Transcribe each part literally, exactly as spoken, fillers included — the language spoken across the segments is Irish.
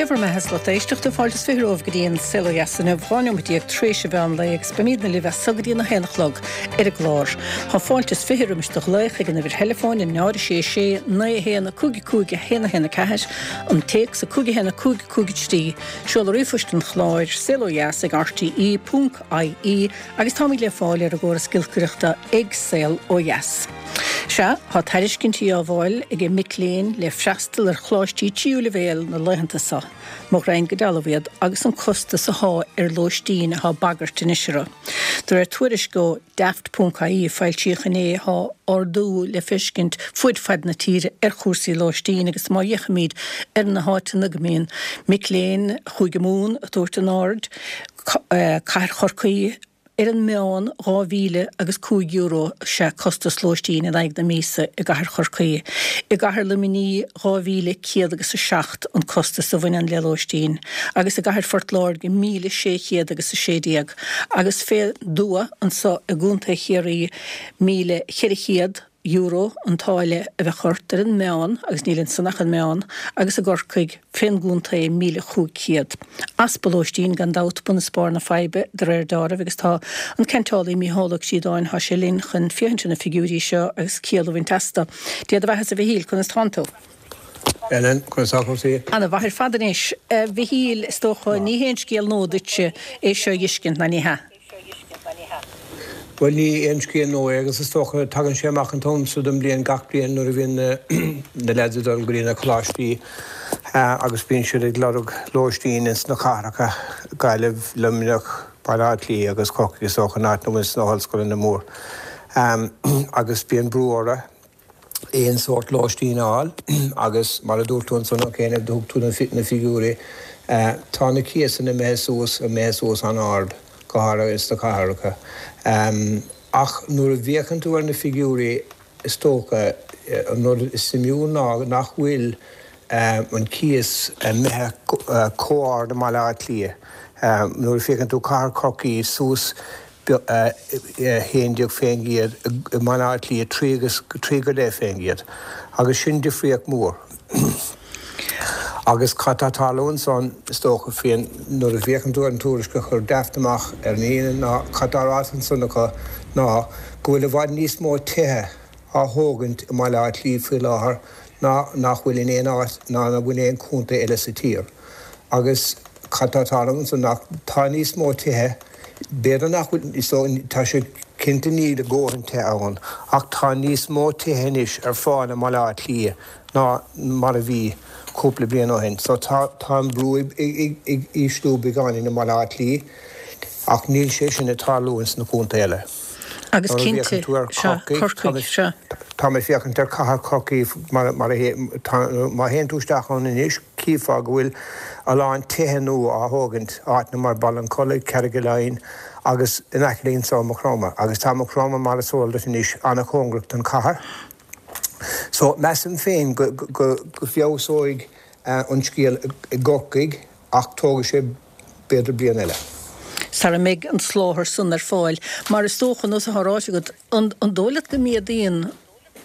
bhur mbeatha is lucht éisteachta fáilte is fiche romhaibh go dtí an Saol Ó Dheas inniu dhá nóiméad déag tar éis an mheán lae agus beimidne libh as so go dtí a haon a chlog ar an gclár. Tá fáilte is fiche roimis do ghlaoch ag an uimhir theileafóin a náid sé sé naoi haon cúig cúig a haon a haon a ceathair an téacs a cúig haon cúig cúig trí seoladh ríomhphoist an chláir saol ó dheas ag RTE ponc IE agus táimid le fáil ar an gcóras giolcaireachta ag Saol Ó Dheas. Sea, tá tairiscintí á bhfáil ag mic léinn le freastal ar choláistí tríú leibhéal na laethanta seo. Mo ghreidhn go dealbh iad agus an costas atá ar lóistín atá bagairt anois orthu. De réir tuairisc ó Daft.ie foilsíodh inné tá ardú le feiscint fud fad na tíre ar chúrsaí lóistín agus má fhéachaimid ar na háiteanna go mbíonn mic léinn Chúige Mumhan ag tabhairt a n-aird, Cathair Chorcaí, Ar an meán, dhá mhíle agus cúig euro is ea costas lóistín in aghaidh na míosa i gcathair Chorcaí. I gcathair Luimnigh, dhá mhíle céad agus a seacht an costas a bhaineann le lóistín, agus i gcathair Phort Láirge, míle sé chéad agus a sé déag, agus fén dtuath anso i gContae Chiarraí, míle cheithre chéad. euro an táille a bheadh ort ar an meán, agus níl ansan ach an meán, agus i gCorcaigh, fén gcontae, míle chúig chéad. Easpa lóistín, gan dabht, bun is barr na faidhbe, de réir deáraimh, agus tá an ceantálaí Mícheál Ó Críodáin, thá sé linn chun féachaint ar na figiúirí seo agus ciall a bhaint astu. Dia do bheatha-sa, a Mhichíl, conas tánn tú? Ellen, conas tá cúrsaí? Ana mhaith ar fad anois. A Mhichíl, is dócha, ní haon scéal nua duitse é seo a dh'fheiscint, ná ní hea? Bhuel, ní aon scéal nua é agus is dócha, tagann sé amach an t-am so den bhliain gach bliain nuair a bhíonn na leaids ag dul go dtí na coláistí agus bíonn siad ag lorg lóistín ins na cathracha, Gaillimh, Luimneach, Baile Átha Cliath agus Corcaigh is dócha, an áit ina bhfuil na hollscoileanna mór agus bíonn brú orthu. aon sórt lóistín a fháil agus mar a dúirt tú ansan cheana, thug tú na figiúirí, tá na cíosanna imithe suas, imithe suas an-ard, go háirithe ins na cathracha. Ach nuair a bhféachann tú ar na figiúirí is dócha, an rud is suimiúil ná nach bhfuil an cíos imithe chomh ard i mBaile Átha Cliath. Nuair a féachann tú cathair Chorcaí suas haon déag faoin gcéad i mBaile Átha Cliath, trí agus trí go leith faoin gcéad. Agus sin difríocht mhór. Agus cad tá ag tarlú ansan, is dócha, féin, nuair a bhféachann tú ar an tuairisc a chuir Daft amach ar an Aoine ná cad tá ráite ansan acu ná go bhfuil i bhfad níos mó tithe á thógaint i mBaile Átha Cliath faoi láthair ná nach bhfuil in aon áit ná nach bhfuil in aon chontae eile sa tír. Agus cad tá ag tarlú ansan ná tá níos mó tithe B'fhéidir nach bhfuil, so tá sé cinnte níl a dhóthain tithe ann, ach tá níos mó tithe anois ar fáil i mBaile Átha Cliath ná mar a bhí cúpla bliain ó shin. So tá tá an brú ag ag ísliú beagáinín i mBaile Átha Cliath ach níl sé sin ag tarlú ins na contaetha eile. Agus Nuair a cinnte, bhféachann tú ar sea, Chorcaigh, tá Corcaigh, mé sea. tá mé ag féachaint ar cathair Chorcaí mar mar a tá má théann tú isteach ann anois, Chífeá go bhfuil a lán tithe nua á thógaint, áiteanna mar Ballincollig, Carrigaline agus in aice linn anseo, Maigh Chromtha. Agus tá Maigh Chromtha, mar is eol duit anois, an-chóngarach don chathair. So, measaim féin go bhfeabhsóidh an scéal i gCorcaigh ach tógfaidh sé b'fhéidir bliain eile. Sara mbeidh an soláthar san ar fáil. Mar is dócha, nós atá ráite agat, an dóigh leat go méadaíonn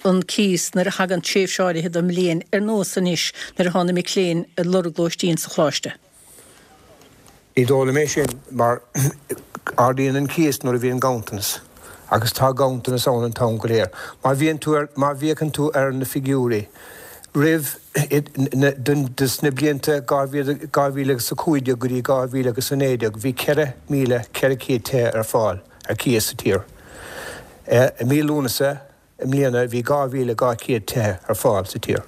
an cíos nuair a thagann tréimhse áirithe den mbliain, ar nós anois nuair atá na mic léinn ag lorg lóistín sa choláiste? Ní dóigh liom é sin, mar ardaíonn an cíos nuair a bhíonn ganntanas, agus tá ganntanas ann an t-am go léir. Má bhíonn tú ar, má bhféachann tú ar na figiúirí roimh, dos na blianta dhá mhíle agus a cúig déag go dtí dhá mhíle agus a naoi déag, bhí ceithre mhíle ceithre chéad tithe ar fáil ar cíos sa tír. I mí Lúnasa i mbliana bhí dhá mhíle dhá chéad tithe ar fáil sa tír.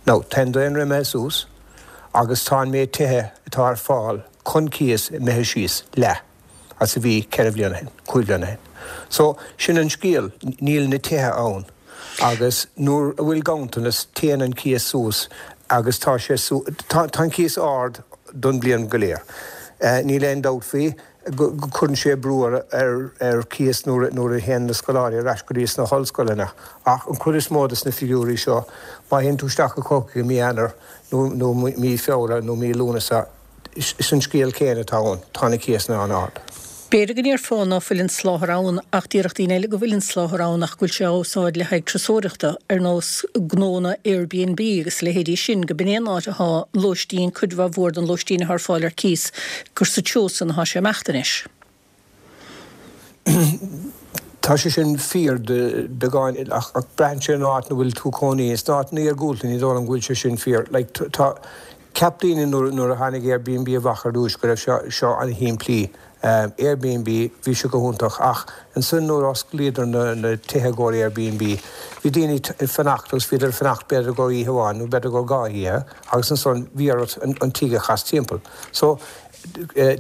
Now, tá an daonra imithe suas agus tá an méid tithe atá ar fáil chun cíos imithe síos leath as a bhí ceithre bhliain ó shin, cúig bhliain ó shin. So, sin an scéal, níl na tithe ann agus nuair a bhfuil ganntanas téann an cíos suas agus tá sé, tá an cíos ard don bhliain go léir. Níl aon dabht faoi. go gcuireann sé brú ar chíos nuair a théann na scoláirí ar ais go dtí sna hollscoileanna. Ach an chuid is mó de na figiúirí seo, má théann tú isteach go Corcaigh i mí Eanáir nó mí Feabhra nó mí Lúnasa, is an scéal céanna atá ann, tá na cíosanna an-ard. B'fhéidir go ndéarfá ná fuil an soláthar ann ach déarfadh daoine eile go bhfuil an soláthar ann ach go bhfuil sé á úsáid le haghaidh turasóireachta ar nós gnónna Airbnb agus a leithéidí sin, go b'in é an áit atá lóistín, cuid mhaith mhór den lóistín atá ar fáil ar cíos, gur sa treo san atá sé ag imeacht anois. Tá sé sin fíor de beagán ach ach braitheann sé an áit ina bhfuil tú cónaí. Sna áiteanna iargúlta ní dóigh liom go bhfuil sé sin fíor. Like, tá Cheap daoine nuair nuair a tháinig Airbnb amach ar dtús go raibh seo seo an-shimplí. Airbnb, bhí sé go hiontach ach ansin nuair a osclaíodar na na tithe i gcomhair Airbnb, bhí daoine ag fanacht agus bhíodar ag fanacht b'fhéidir i gcomhair oíche amháin nó b'fhéidir i gcomhair dhá oíche agus ansan bhí ort an an tigh a chas timpeall. So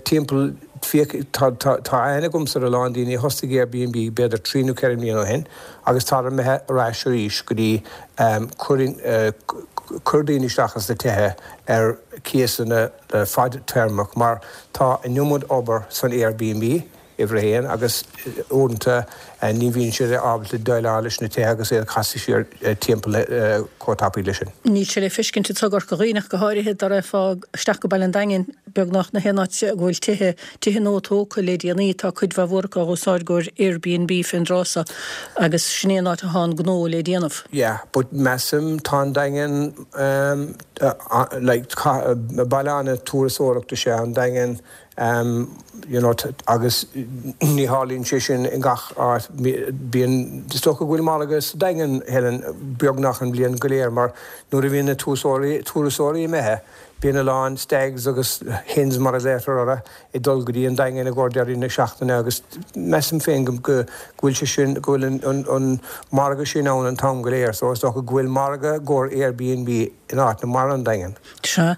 timpeall fiche, tá tá tá aithne agamsa ar a lán daoine a thosaigh Airbnb b'fhéidir trí nó ceithre mbliana ó shin agus tádar imithe ar ais arís go dtí cur cur daoine isteach ins na tithe ar cíosanna fadtéarmach mar tá an iomad obair san Airbnb uimhir a haon agus uaireanta ní bhíonn siad ábalta déileáil leis na tithe agus iad a chasadh siar timpeall chomh tapaidh leis sin. Níl sé le feiscint anseo i gCorca Dhuibhne ach go háirithe dá raghfá isteach go Baile an Daingin, beagnach na haon áit go bhfuil tithe, tithe nua tógtha le déanaí, tá cuid mhaith mhór acu á úsáid i gcomhair Airbnb fén dtráth so agus sin é an áit atá an gnó le déanamh. Yeah, but measaim tá an Daingean um, uh, like, baile an-turasóireachta is ea an Daingean um, you know, agus ní tharlaíonn sé sin in gach áit. Bíonn is dócha go bhfuil margadh sa Daingean Helen beagnach an bhliain go léir mar nuair a bhíonn na turasóirí turasóirí imithe bíonn a lán stags agus hens mar a deirtear orthu ag dul go dtí an Daingean i gcomhair deireadh na seachtaine agus measaim féin go go bhfuil sé sin go bhfuil an, an, an margadh sin ann an t-am go léir so is dócha go bhfuil margadh i gcomhair Airbnb in áiteanna mar an Daingean. Sea.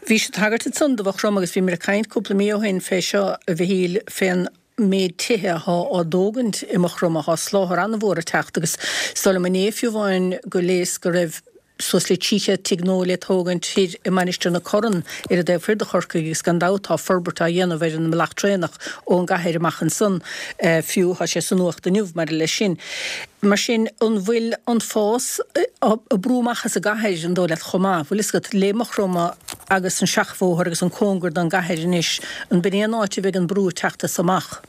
Bhí sé tagairt ansan do Mhaigh Chromtha agus bhíomar ag caint cúpla mí ó shin fé seo a Mhichíl fén méid tithe atá á dtógaint i Maigh Chromtha, tá soláthar an-mhór ag teacht agus is dóigh liom inné fiú amháin go léas go raibh suas le trí chéad tigh nua le tógaint thoir i Mainistir na Corann ar an dtaobh thoir de Chorcaigh agus gan dabht tá forbairt á dhéanamh ar an mbealach traenach ón gcathair amach ansan fiú, tá sé sa nuacht inniu maidir leis sin. Mar sin, an bhfuil an fás ag brú amach as an gcathair, an dóigh leat, chomh maith? Bhfuil fhios agat, le Maigh Chromtha agus an seachbhóthar agus an cóngar don gcathair anois, an b'in é an áit a bheidh an brú ag teacht as amach?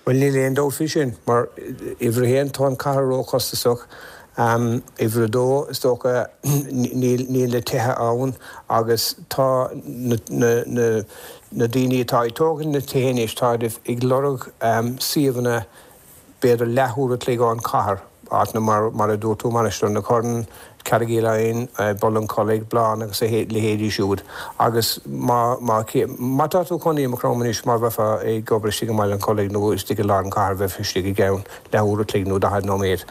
Bhuel, níl aon dabht faoi sin, mar uimhir a haon, tá an cathair róchostasach, uimhir a dó, is dócha, níl níl na tithe ann agus tá na na na na daoine atá ag tógaint na tithe anois, táid ag lorg suíomhanna b'fhéidir leathuair a chloig ón chathair, áiteanna mar, mar a dúirt tú, Mainistir na Corann, Carraig Fhaoláin, Baile an Chollaigh, Blán agus a leithéidí siúd. Agus má, má, má tá tú cónaí i Maigh Chromtha anois, má bheifeá ag obair istigh i mBaile an Chollaigh nó istigh i lár an chathair, bheifeá istigh i gceann leathuair a chloig nó daichead nóiméad.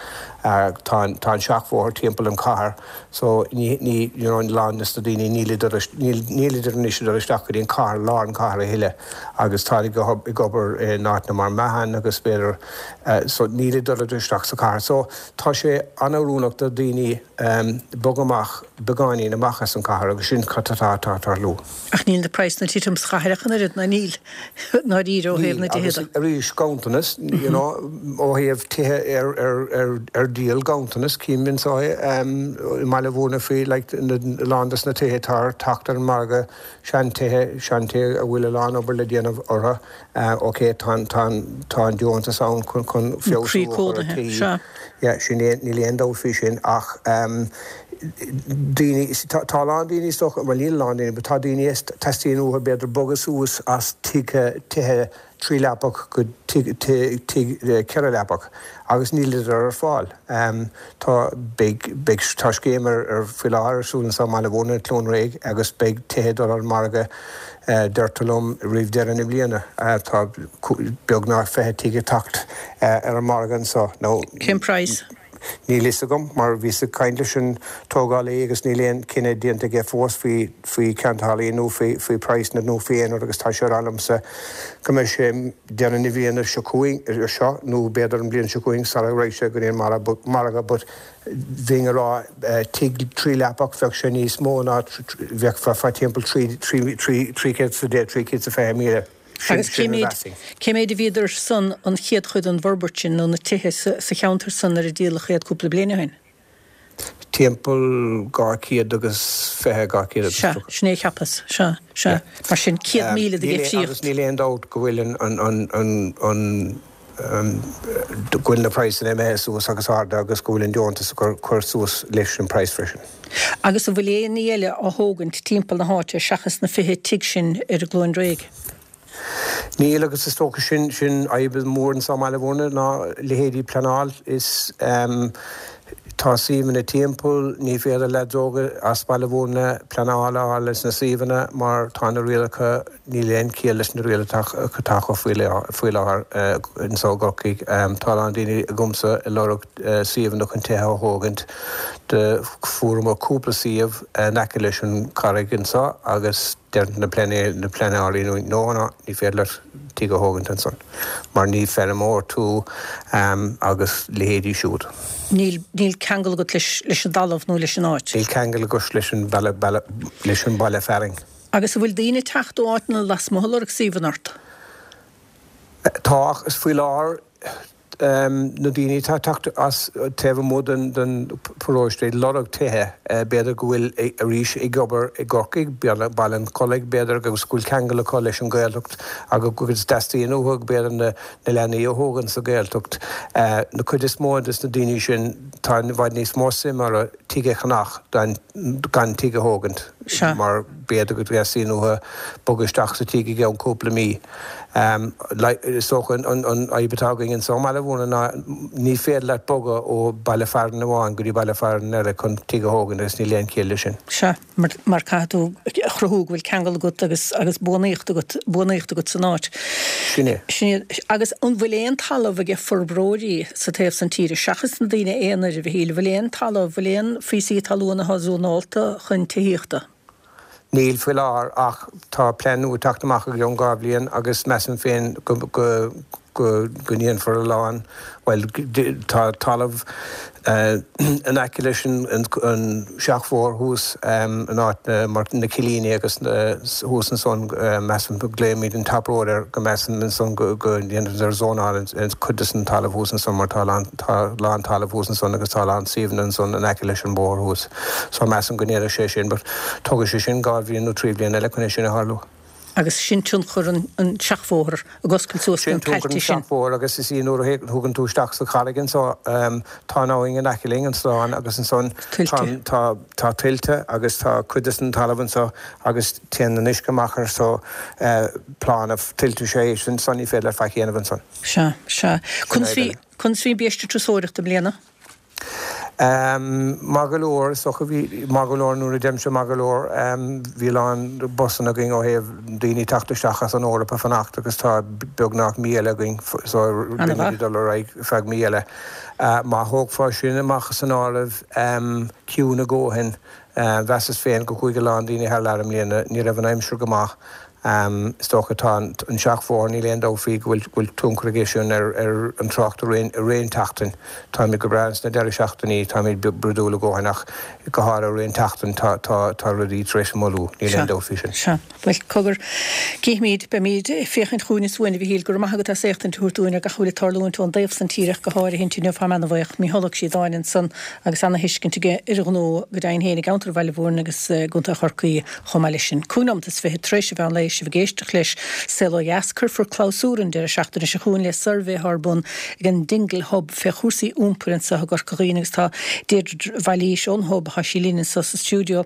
Tá an, tá an seachbhóthar timpeall an chathair so ní, ní, you know, a lán des na daoine nílidar, níl, nílidar anois ag dul isteach go dtí an cathair, lár an chathair a thuilleadh agus táid ag, ag obair in áiteanna mar Meathan agus b'fhéidir, so nílidar ag dul isteach sa chathair. So tá sé an-oiriúnach do daoine bogadh amach beagáinín amach as an chathair agus sin cad atá ag tarlú. Ach níl na praghsanna ag titim sa chathair ach an oiread, ná níl, ndáiríre ó thaobh Níl, na dtithe agus de. arís ganntanas, you know, ó thaobh tithe ar, ar, ar, ar díol ganntanas, cím anseo i mBaile Bhúirne faoi like na, a lán des na tithe atá ar teacht ar an margadh, seantithe, seantithe a bhfuil a lán obair le déanamh orthu. Ok, tá an, tá an, tá an deontas ann chun, chun An feabhsú croí a chur ar cónaithe, tí. sea. Yeah, sin é, níl aon dabht faoi sin ach daoine, tá, tá a lán daoine is dócha, bhuel níl a lán daoine, but tá daoine is teastaíonn uathu b'fhéidir bogadh suas as tigh, tithe trí leapach go tigh, tigh, tigh ceithre leapach agus nílidar ar fáil. Tá, beidh, beidh, tá scéim ar, ar, faoi láthair ar siúl anseo i mBaile Bhúirne, Cluain Réidh agus beidh tithe ag dul ar an margadh, deirtear liom, roimh deireadh na bliana. Tá beagnach fiche tigh ag teacht ar an margadh anseo. Nó. Cén praghas? Níl fhios agam, mar bhíos ag caint leis an tógálaí agus níl aon cinneadh déanta aige fós faoi faoi ceantálaí nó faoi faoi praghsanna nó faoi aon rud agus tá sé ag rá liomsa go mbeidh sé deireadh na bliana seo chugainn seo nó b'fhéidir an bhliain seo chugainn sara raghaidh sé go dtí an margadh but bheinn ag rá tigh trí leapach bheadh sé níos mó ná bheadh fá timpeall trí trí trí trí chéad is a deich trí chéad is a fiche míle. Sin Agus cé sin a méid mheasfainn. cé méid a bhíodar san an chéad chuid den bhforbairt sin nó na tithe sa sa cheantar san nuair a díoladh iad cúpla bliain ó shin? Timpeall dhá chéad agus fiche, dhá chéad agus Sea, tríocha. sin é a cheapas, sea, sea. Mar sin, céad míle de Níl aon- dhifríocht. Agus níl aon dabht go bhfuil an, an, an, an, an um, go bhfuil na praghsanna imithe suas agus arda agus go bhfuil an deontas ag cur, cur suas leis an praghas freisin. Agus an bhfuil aon ní eile á thógaint timpeall na háite seachas na fiche tigh sin ar an gCluain Réidh? Níl agus is dócha sin sin fadhb mór anseo i mBaile Bhúirne ná leithéidí pleanáil is um, tá suíomhanna timpeall ní féidir le daoine as Baile Bhúirne pleanáil a fháil leis na suíomhanna mar tá na rialacha níl aon chiall leis na rialacha atá acu faoi faoi láthair anseo i gCorcaigh. Um, tá a lán daoine agamsa ag lorg uh, suíomhanna chun tithe a thógaint do fuaireamar cúpla suíomh in aice leis an charraig anseo agus deir na pleanálaí na pleanálaí nó nó ná ní féidir leat tigh a thógaint ansan mar ní feirmeoir tú um, agus leithéidí siúd. Níl, níl ceangal agat leis, leis an dtalamh nó leis an áit. Níl ceangal agat leis an baile, baile, leis an baile fearainn. Agus an bhfuil daoine ag teacht ó áiteanna lasmuigh ag lorg suíomhanna ort. Tá is faoi láthair um, na daoine tá teacht as taobh amuigh den den paróiste ag lorg tithe uh, b'fhéidir go bhfuil arís ag obair i gCorcaigh Baile an Chollaigh b'fhéidir agus go bhfuil ceangal acu leis an Ghaeltacht agus go dteastaíonn uathu b'fhéidir na, na leanaí a thógaint sa Ghaeltacht. Uh, na cuid is mó des na daoine sin tá i bhfad níos mó suim acu tigh a cheannach gan, gan tigh a thógaint Sea. mar b'fhéidir go dteastaíonn uathu bogadh isteach sa tigh i gceann cúpla mí. Um, is dócha an, an, an fhadhb atá againn anseo i mBaile Bhúirne ná ní féidir leat bogadh ó baile fearainn amháin go dtí baile fearainn eile chun tigh a thógaint agus níl aon chiall leis sin. Sea, mar, mar caithfidh tú a chruthú go bhfuil ceangal agat agus, agus buanaíocht agat, buanaíocht agat san áit. Sin é. Sin é. Agus an bhfuil aon talamh ag forbróirí sa taobh san tíre seachas na daoine aonair a Mhichíl, bhfuil aon talamh, bhfuil aon phíosaí talún atá zónálta chun tithíochta. Níl faoi láthair ach tá plean nua teacht amach i gceann dhá bhliain agus measaim féin go, go, go, go ndéanfar a lán well tá talamh uh, in aice leis an, an, an seachbhóthar thuas um, in áit na, mar na Cillíní agus uh, thuas ansan uh, measaim go glaofaimid an Top Road ar go measaim ansan go, go ndéanfar zónáil an, an cuid des an talamh thuas ansan mar tá lán, tá lán talamh thuas ansan agus tá lán suíomhanna ansan in aice leis an bóthar thuas. So measaim go ndéanfaidh sé sin, but tógfaidh sé sin dhá bhliain nó trí bliana eile chun é sin a tharlú. Agus sin tionchar an, an seachbhóthar ag oscailt suas Sin na tionchar tailte an sin. seachbhóthar agus is í nuair a thugann tú isteach sa charraig so um, tá an abhainn in aice linn an slán agus ansan Tuilte. tá, tá, tá tuilte agus tá cuid des an talamh anseo agus téann an uisce amach ar so uh, plána tuilte sé sin san ní féidir le faic a dhéanamh ansan. Sea, sea. Conas bhí eile. conas bhí biaiste turasóireachta i mbliana? Um, Maith go leor so bhí maith go leor nuair a deirimse maith go leor um, bhí lán busanna againn ó thaobh daoine teacht isteach as an Eoraip a fanacht agus tá beagnach mí eile againn so An-mhaith. dul ar aghaidh feadh mí eile. Uh, má thógfá sin amach san áireamh um, ciúin a dhóthain uh, mheasas féin go chuaigh a lán daoine thar lear i mbliana ní raibh an aimsir go maith. Um, is dócha tá an seachbhóthar níl aon dabht faoi go bhfuil bhfuil tionchar aige sin ar, ar an trácht i rith an tseachtain. Táimid go breá sna deireadh seachtainí táimid brúidiúil a dhóthain ach go háirithe i rith an tseachtain tá, tá, tá rudaí tar éis moilliú níl aon dabht faoi sin. Sea, Well cogar cífimid beimid ag féachaint chugainn is uainn a Mhichíl go raibh maith agat as éachtaint a thabhairt dúinn ar gach a bhfuil ag tarlúint ón dtaobh san tíre go háirithe inniu tá an-bhuíoch Mícheál Ó Síodáin ansan agus ana-thuiscint aige ar an ghnó go deimhin féin i gceantar Bhaile Bhúirne agus eh, gContae Chorcaí chomh maith leis sin. Cúig nóiméad is fiche tar éis an mheán lae sibh ag éisteacht leis Saol Ó Dheas cuirfear clabhsúr an deireadh seachtaine seo chugainn le suirbhé ar bun ag an Dingle Hub fé chúrsaí iompair anseo i gCorca Dhuibhne agus tá Deirdre Bhailís ón Hub tá sí linn anseo sa stiúideo.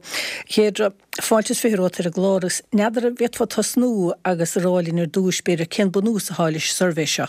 Deirdre fáilte is fiche romhat ar an gclár agus n'fheadar an bhféadfá tosnú agus a rá linn ar dtús b'fhéidir cén bunús atá leis suirbhé seo.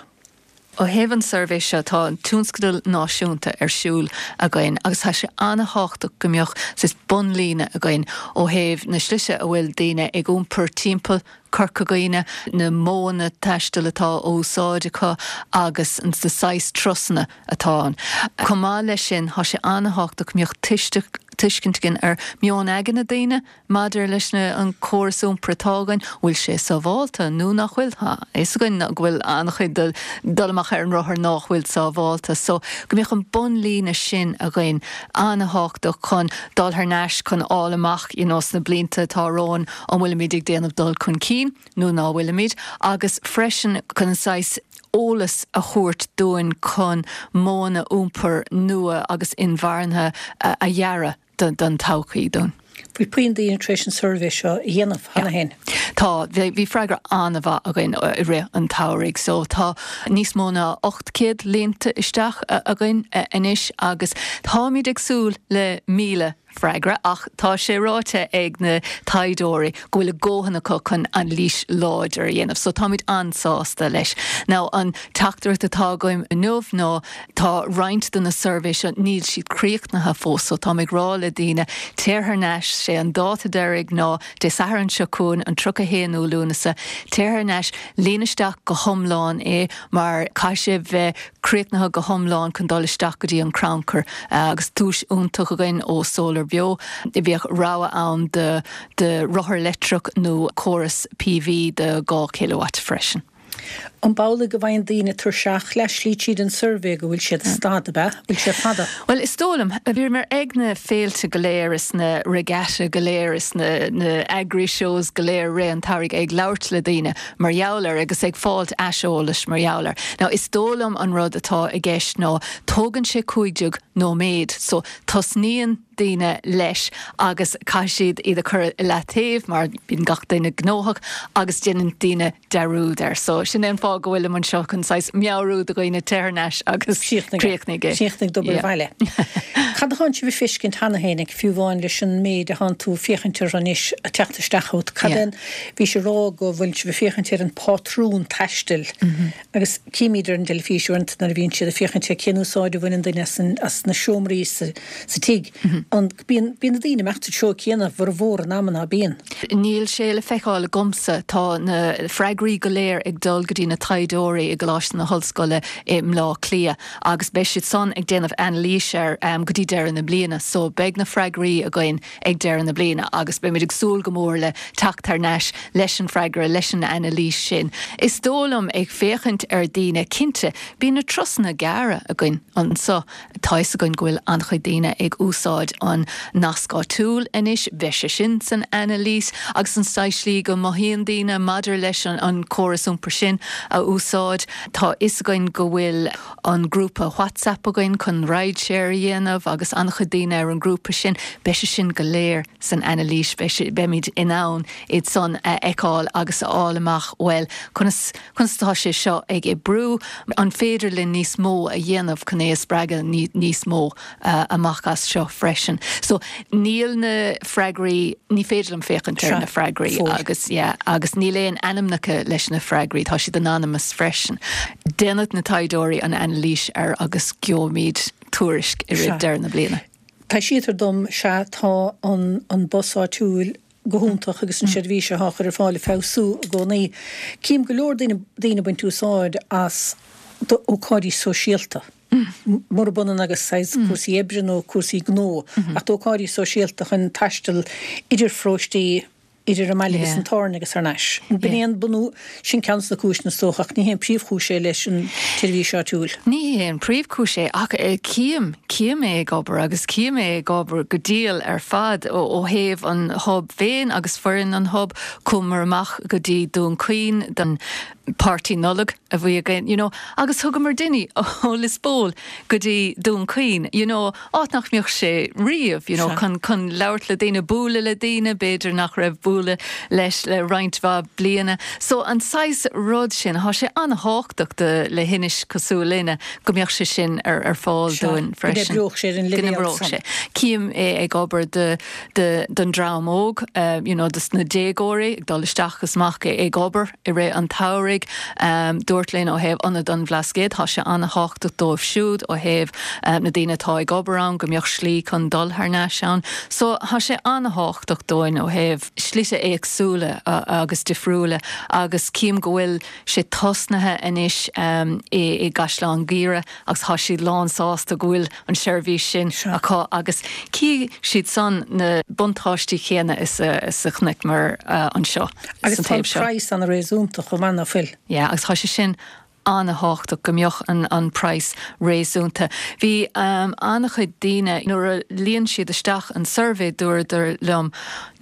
Ó thaobh an suirbhé seo tá an tionscadal náisiúnta ar siúl againn agus tá sé an-tábhachtach go mbeadh saghas bunlíne againn ó thaobh na slite a bhfuil daoine ag iompar timpeall Corca Dhuibhne na modhanna taistil atá á úsáid acu agus an na saghas turasanna atá ann. Chomh maith leis sin tá sé an-tábhachtach go mbeadh tuiscint againn ar meon aigne na daoine maidir leis na an córas iompair atá againn, bhfuil sé sábháilte nó nach bhfuil tá is againn go bhfuil an-chuid dul amach ar an rothar nach bhfuil sábháilte, so go mbeadh an bunlíne sin againn an-tábhachtach chun dul thar n-ais chun fháil amach you know, sna blianta atá romhainn an bhfuilimid ag déanamh dul chun cinn nó ná bhfuilimid, agus freisin chun an saghas eolas a thabhairt dúinn chun modhanna iompair nua agus inmharthana a dhearadh don todhchaí dúinn. Bhfuil puinn daoine tar éis an suirbhé seo a dhéanamh cheana féin? Tá, bhí freagra an-mhaith againn i rith an tsamhraidh, so tá níos mó ná ocht céad líonta isteach againn anois agus táimid ag súil le míle freagra ach tá sé ráite ag na taighdeoirí go bhfuil a ndóthain acu chun anailís láidir a dhéanamh, so táimid an-sásta leis. Now an teachtaireacht atá againn inniu ná tá roinnt de na suirbhé seo níl siad críochnaithe fós, so táim ag rá le daoine téir thar n-ais sé an dáta deiridh ná Dé Sathairn seo chugainn an tríocha haonú Lúnasa, téir thar n-ais líon isteach go hiomlán é mar caithfidh sé bheith críochnaithe go hiomlán chun dul isteach go dtí an crannchur agus duais iontach againn ó Solar Beo. Bheadh rogha ann de de rothar leictreach nó córas PV de dhá kilowatt freisin. An amhlaidh go bhfaigheann daoine tuirseach le slí tríd an suirbhé go bhfuil siad stad ab ea? Bhfuil sé fada? Well is dóigh liom, bhíomar ag na féilte go léir is na regatta go léir is na na agri shows go léir rith an tsamhraidh ag labhairt le daoine mar gheall air agus ag fáilt aiseolais mar gheall air. Now is dóigh liom an rud atá i gceist ná tógann sé cúig déag nóiméad, so tosnaíonn daoine leis agus caithfidh siad iad a chur i leataobh mar bíonn gach duine gnóthach agus déanann daoine dearúd air. So sin é an fáth go bhfuilim anseo chun saghas meabhrú do dhaoine téir thar n-ais agus críochnaigh é. Críochnaigh d'obair bhaile. Cad atánn sibh ag feiscint cheana féin ag fiú amháin leis an méid atánn tú féachaint air anois ag teacht isteach chugat? Cad é an, bhís ag rá go bhfuil sibh ag féachaint ar an pátrún taistil agus címid ar an dteilifís uaireanta nuair a bhíonn siad ag féachaint ar cén úsáid a bhaineann duine as an, as na seomraí sa, sa tigh. An, bíonn, bíonn na daoine ag imeacht sa treo céanna formhór an ama ná bíonn? Níl sé le feiceáil agamsa. Tá na freagraí go léir ag dul go dtí na taighdeoirí i gColáiste na hOllscoile i mBleá Cliath agus beidh siad san ag déanamh anailís air um, go dtí deireadh na bliana. So beidh na freagraí againn ag deireadh na bliana agus beimid ag súil go mór le teacht thar n-ais leis an freagra leis an anailís sin. Is dóigh liom ag féachaint ar daoine cinnte, bíonn na turasanna gearra againn anseo. Tá fhios againn go bhfuil an-chuid daoine ag úsáid an nasc áitiúil anois, bheidh sé sin san anailís agus an slí go mothaíonn daoine maidir leis an, an córas iompair sin a úsáid. Tá fhios againn go bhfuil an grúpa WhatsApp againn chun rideshare a dhéanamh agus an-chuid daoine ar an grúpa sin, beidh sé sin go léir san anailís beimid in ann iad san a fheiceáil agus a fháil amach well conas conas tá sé seo ag oibriú an féidir linn níos mó a dhéanamh chun é a spreagadh níos mó uh, amach as seo freisin. So níl na freagraí ní féidir liom féachaint ar na freagraí agus yeah, agus níl aon ainmneacha leis na freagraí tá siad anonymous freisin. Déanfaidh na taighdeoirí an anailís air agus gheobhaimid tuairisc i rith deireadh na bliana. Tá siad dom sea tá an, an bus áitiúil go hiontach agus an seirbhís atá á chur ar fáil ag feabhsú i gcónaí. Cím go leor daoine daoine baint úsáid as ócáidí sóisialta. Murab ionann agus saghas cúrsaí oibre nó cúrsaí gnó, ach d'ócáidí sóisialta chun taisteal idir pharóistí idir an mbaile agus an Táirne agus thar n-ais. B'in é an bunú sin ceann de na cúiseanna is dócha ach ní hé an príomhchúis é leis an tseirbhís áitiúil. Ní hé an príomhchúis é ach cím cím é ag obair agus cím é ag obair go diail ar fad ó, ó thaobh an hub féin agus foireann an hub chuamar amach go dtí Dún Chaoin don party Nollag a bhí againn, you know, agus thugamar duine ó Lios Póil go dtí Dún Chaoin, you know, áit nach mbeadh sé riamh, you know, chun chun labhairt le daoine bualadh le daoine, b'fhéidir nach raibh bualadh leis le roinnt mhaith bliana. So an saghas rud sin tá sé an-tábhachtach le hInis cosúil linne go mbeadh sé sin ar ar fáil dúinn freisin. Go sé an sé. Cím é ag obair de, de, don dream óg, uh, you know, dus na déagóirí ag dul isteach is amach ag obair i rith an tsamhraidh, um, dúirt linn ó thaobh Ionad an Bhlascaoid, tá sé an-tábhachtach dóibh siúd ó thaobh um, na daoine atá ag obair ann go mbeadh slí chun dul thar n-ais ann. So tá sé an-tábhachtach dúinn ó thaobh slite éagsúla uh, agus difriúla agus cím go bhfuil sé tosnaithe anois um, i, i gCaisleán Guaire agus tá siad lán sásta go bhfuil an seirbhís sin acu agus chí siad san na buntáistí céanna is a, is a chonaiceamar uh, anseo. Agus tá praghas an-réasúnta chomh maith nach bhfuil. Yeah, agus tá sé sin an-thábhachtach go mbeadh an, an praghas réasúnta. Bhí um, an-chuid daoine nuair a líon siad isteach an suirbhé dúradar liom,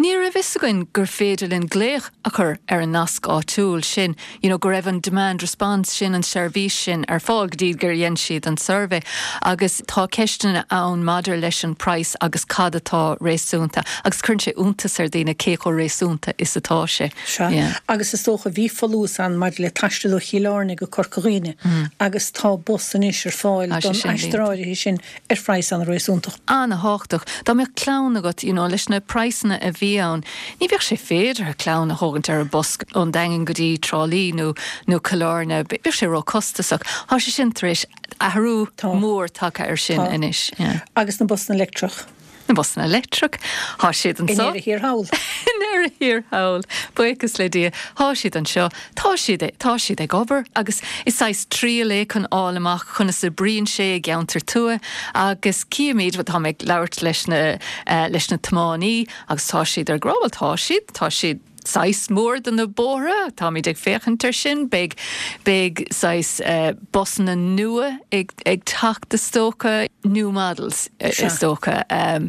Ní raibh fhios againn gur féidir linn glaoch a chur ar an nasc áitiúil sin, you know, go raibh an demand response sin an seirbhís sin ar fáil go dtí gur dhein siad an suirbhé. Agus tá ceisteanna ann maidir leis an praghas agus cad atá réasúnta, agus cuireann sé iontas ar daoine cé chomh réasúnta is atá sé. Sea. Yeah. Agus is dócha bhí folús ann maidir le taisteal ó Chill Airne go Corca Dhuibhne mm. agus tá bus anois ar fáil don aistear áirithe sin ar phraghas an-réasúnta. An-thábhachtach. Dá mbeadh clann agat you know, leis na praghsanna a bhí ann, ní bheadh sé féidir clann a thógaint ar an bus ón Daingean go dtí Trá Lí nó nó Cill Airne, bheadh sé ró-chostasach. Tá sé sin tar éis athrú mór tagtha ar sin anois. Yeah. Agus na busanna leictreach. Na busanna leictreach Tá siad anseo. I ndeireadh thiar thall. I ndeireadh thiar thall. Buíochas le Dia Tá siad anseo Tá siad tá siad ag obair agus is saghas triail é chun fháil amach conas a oibríonn sé i gceantar tuaithe agus címid tá ag labhairt leis na uh, leis na tiománaithe agus tá siad ar grábal tá siad tá siad saghas mór de na bóithre Táimid ag féachaint ar sin beidh beidh saghas uh, busanna nua ag, ag teacht is dócha new models is dócha um,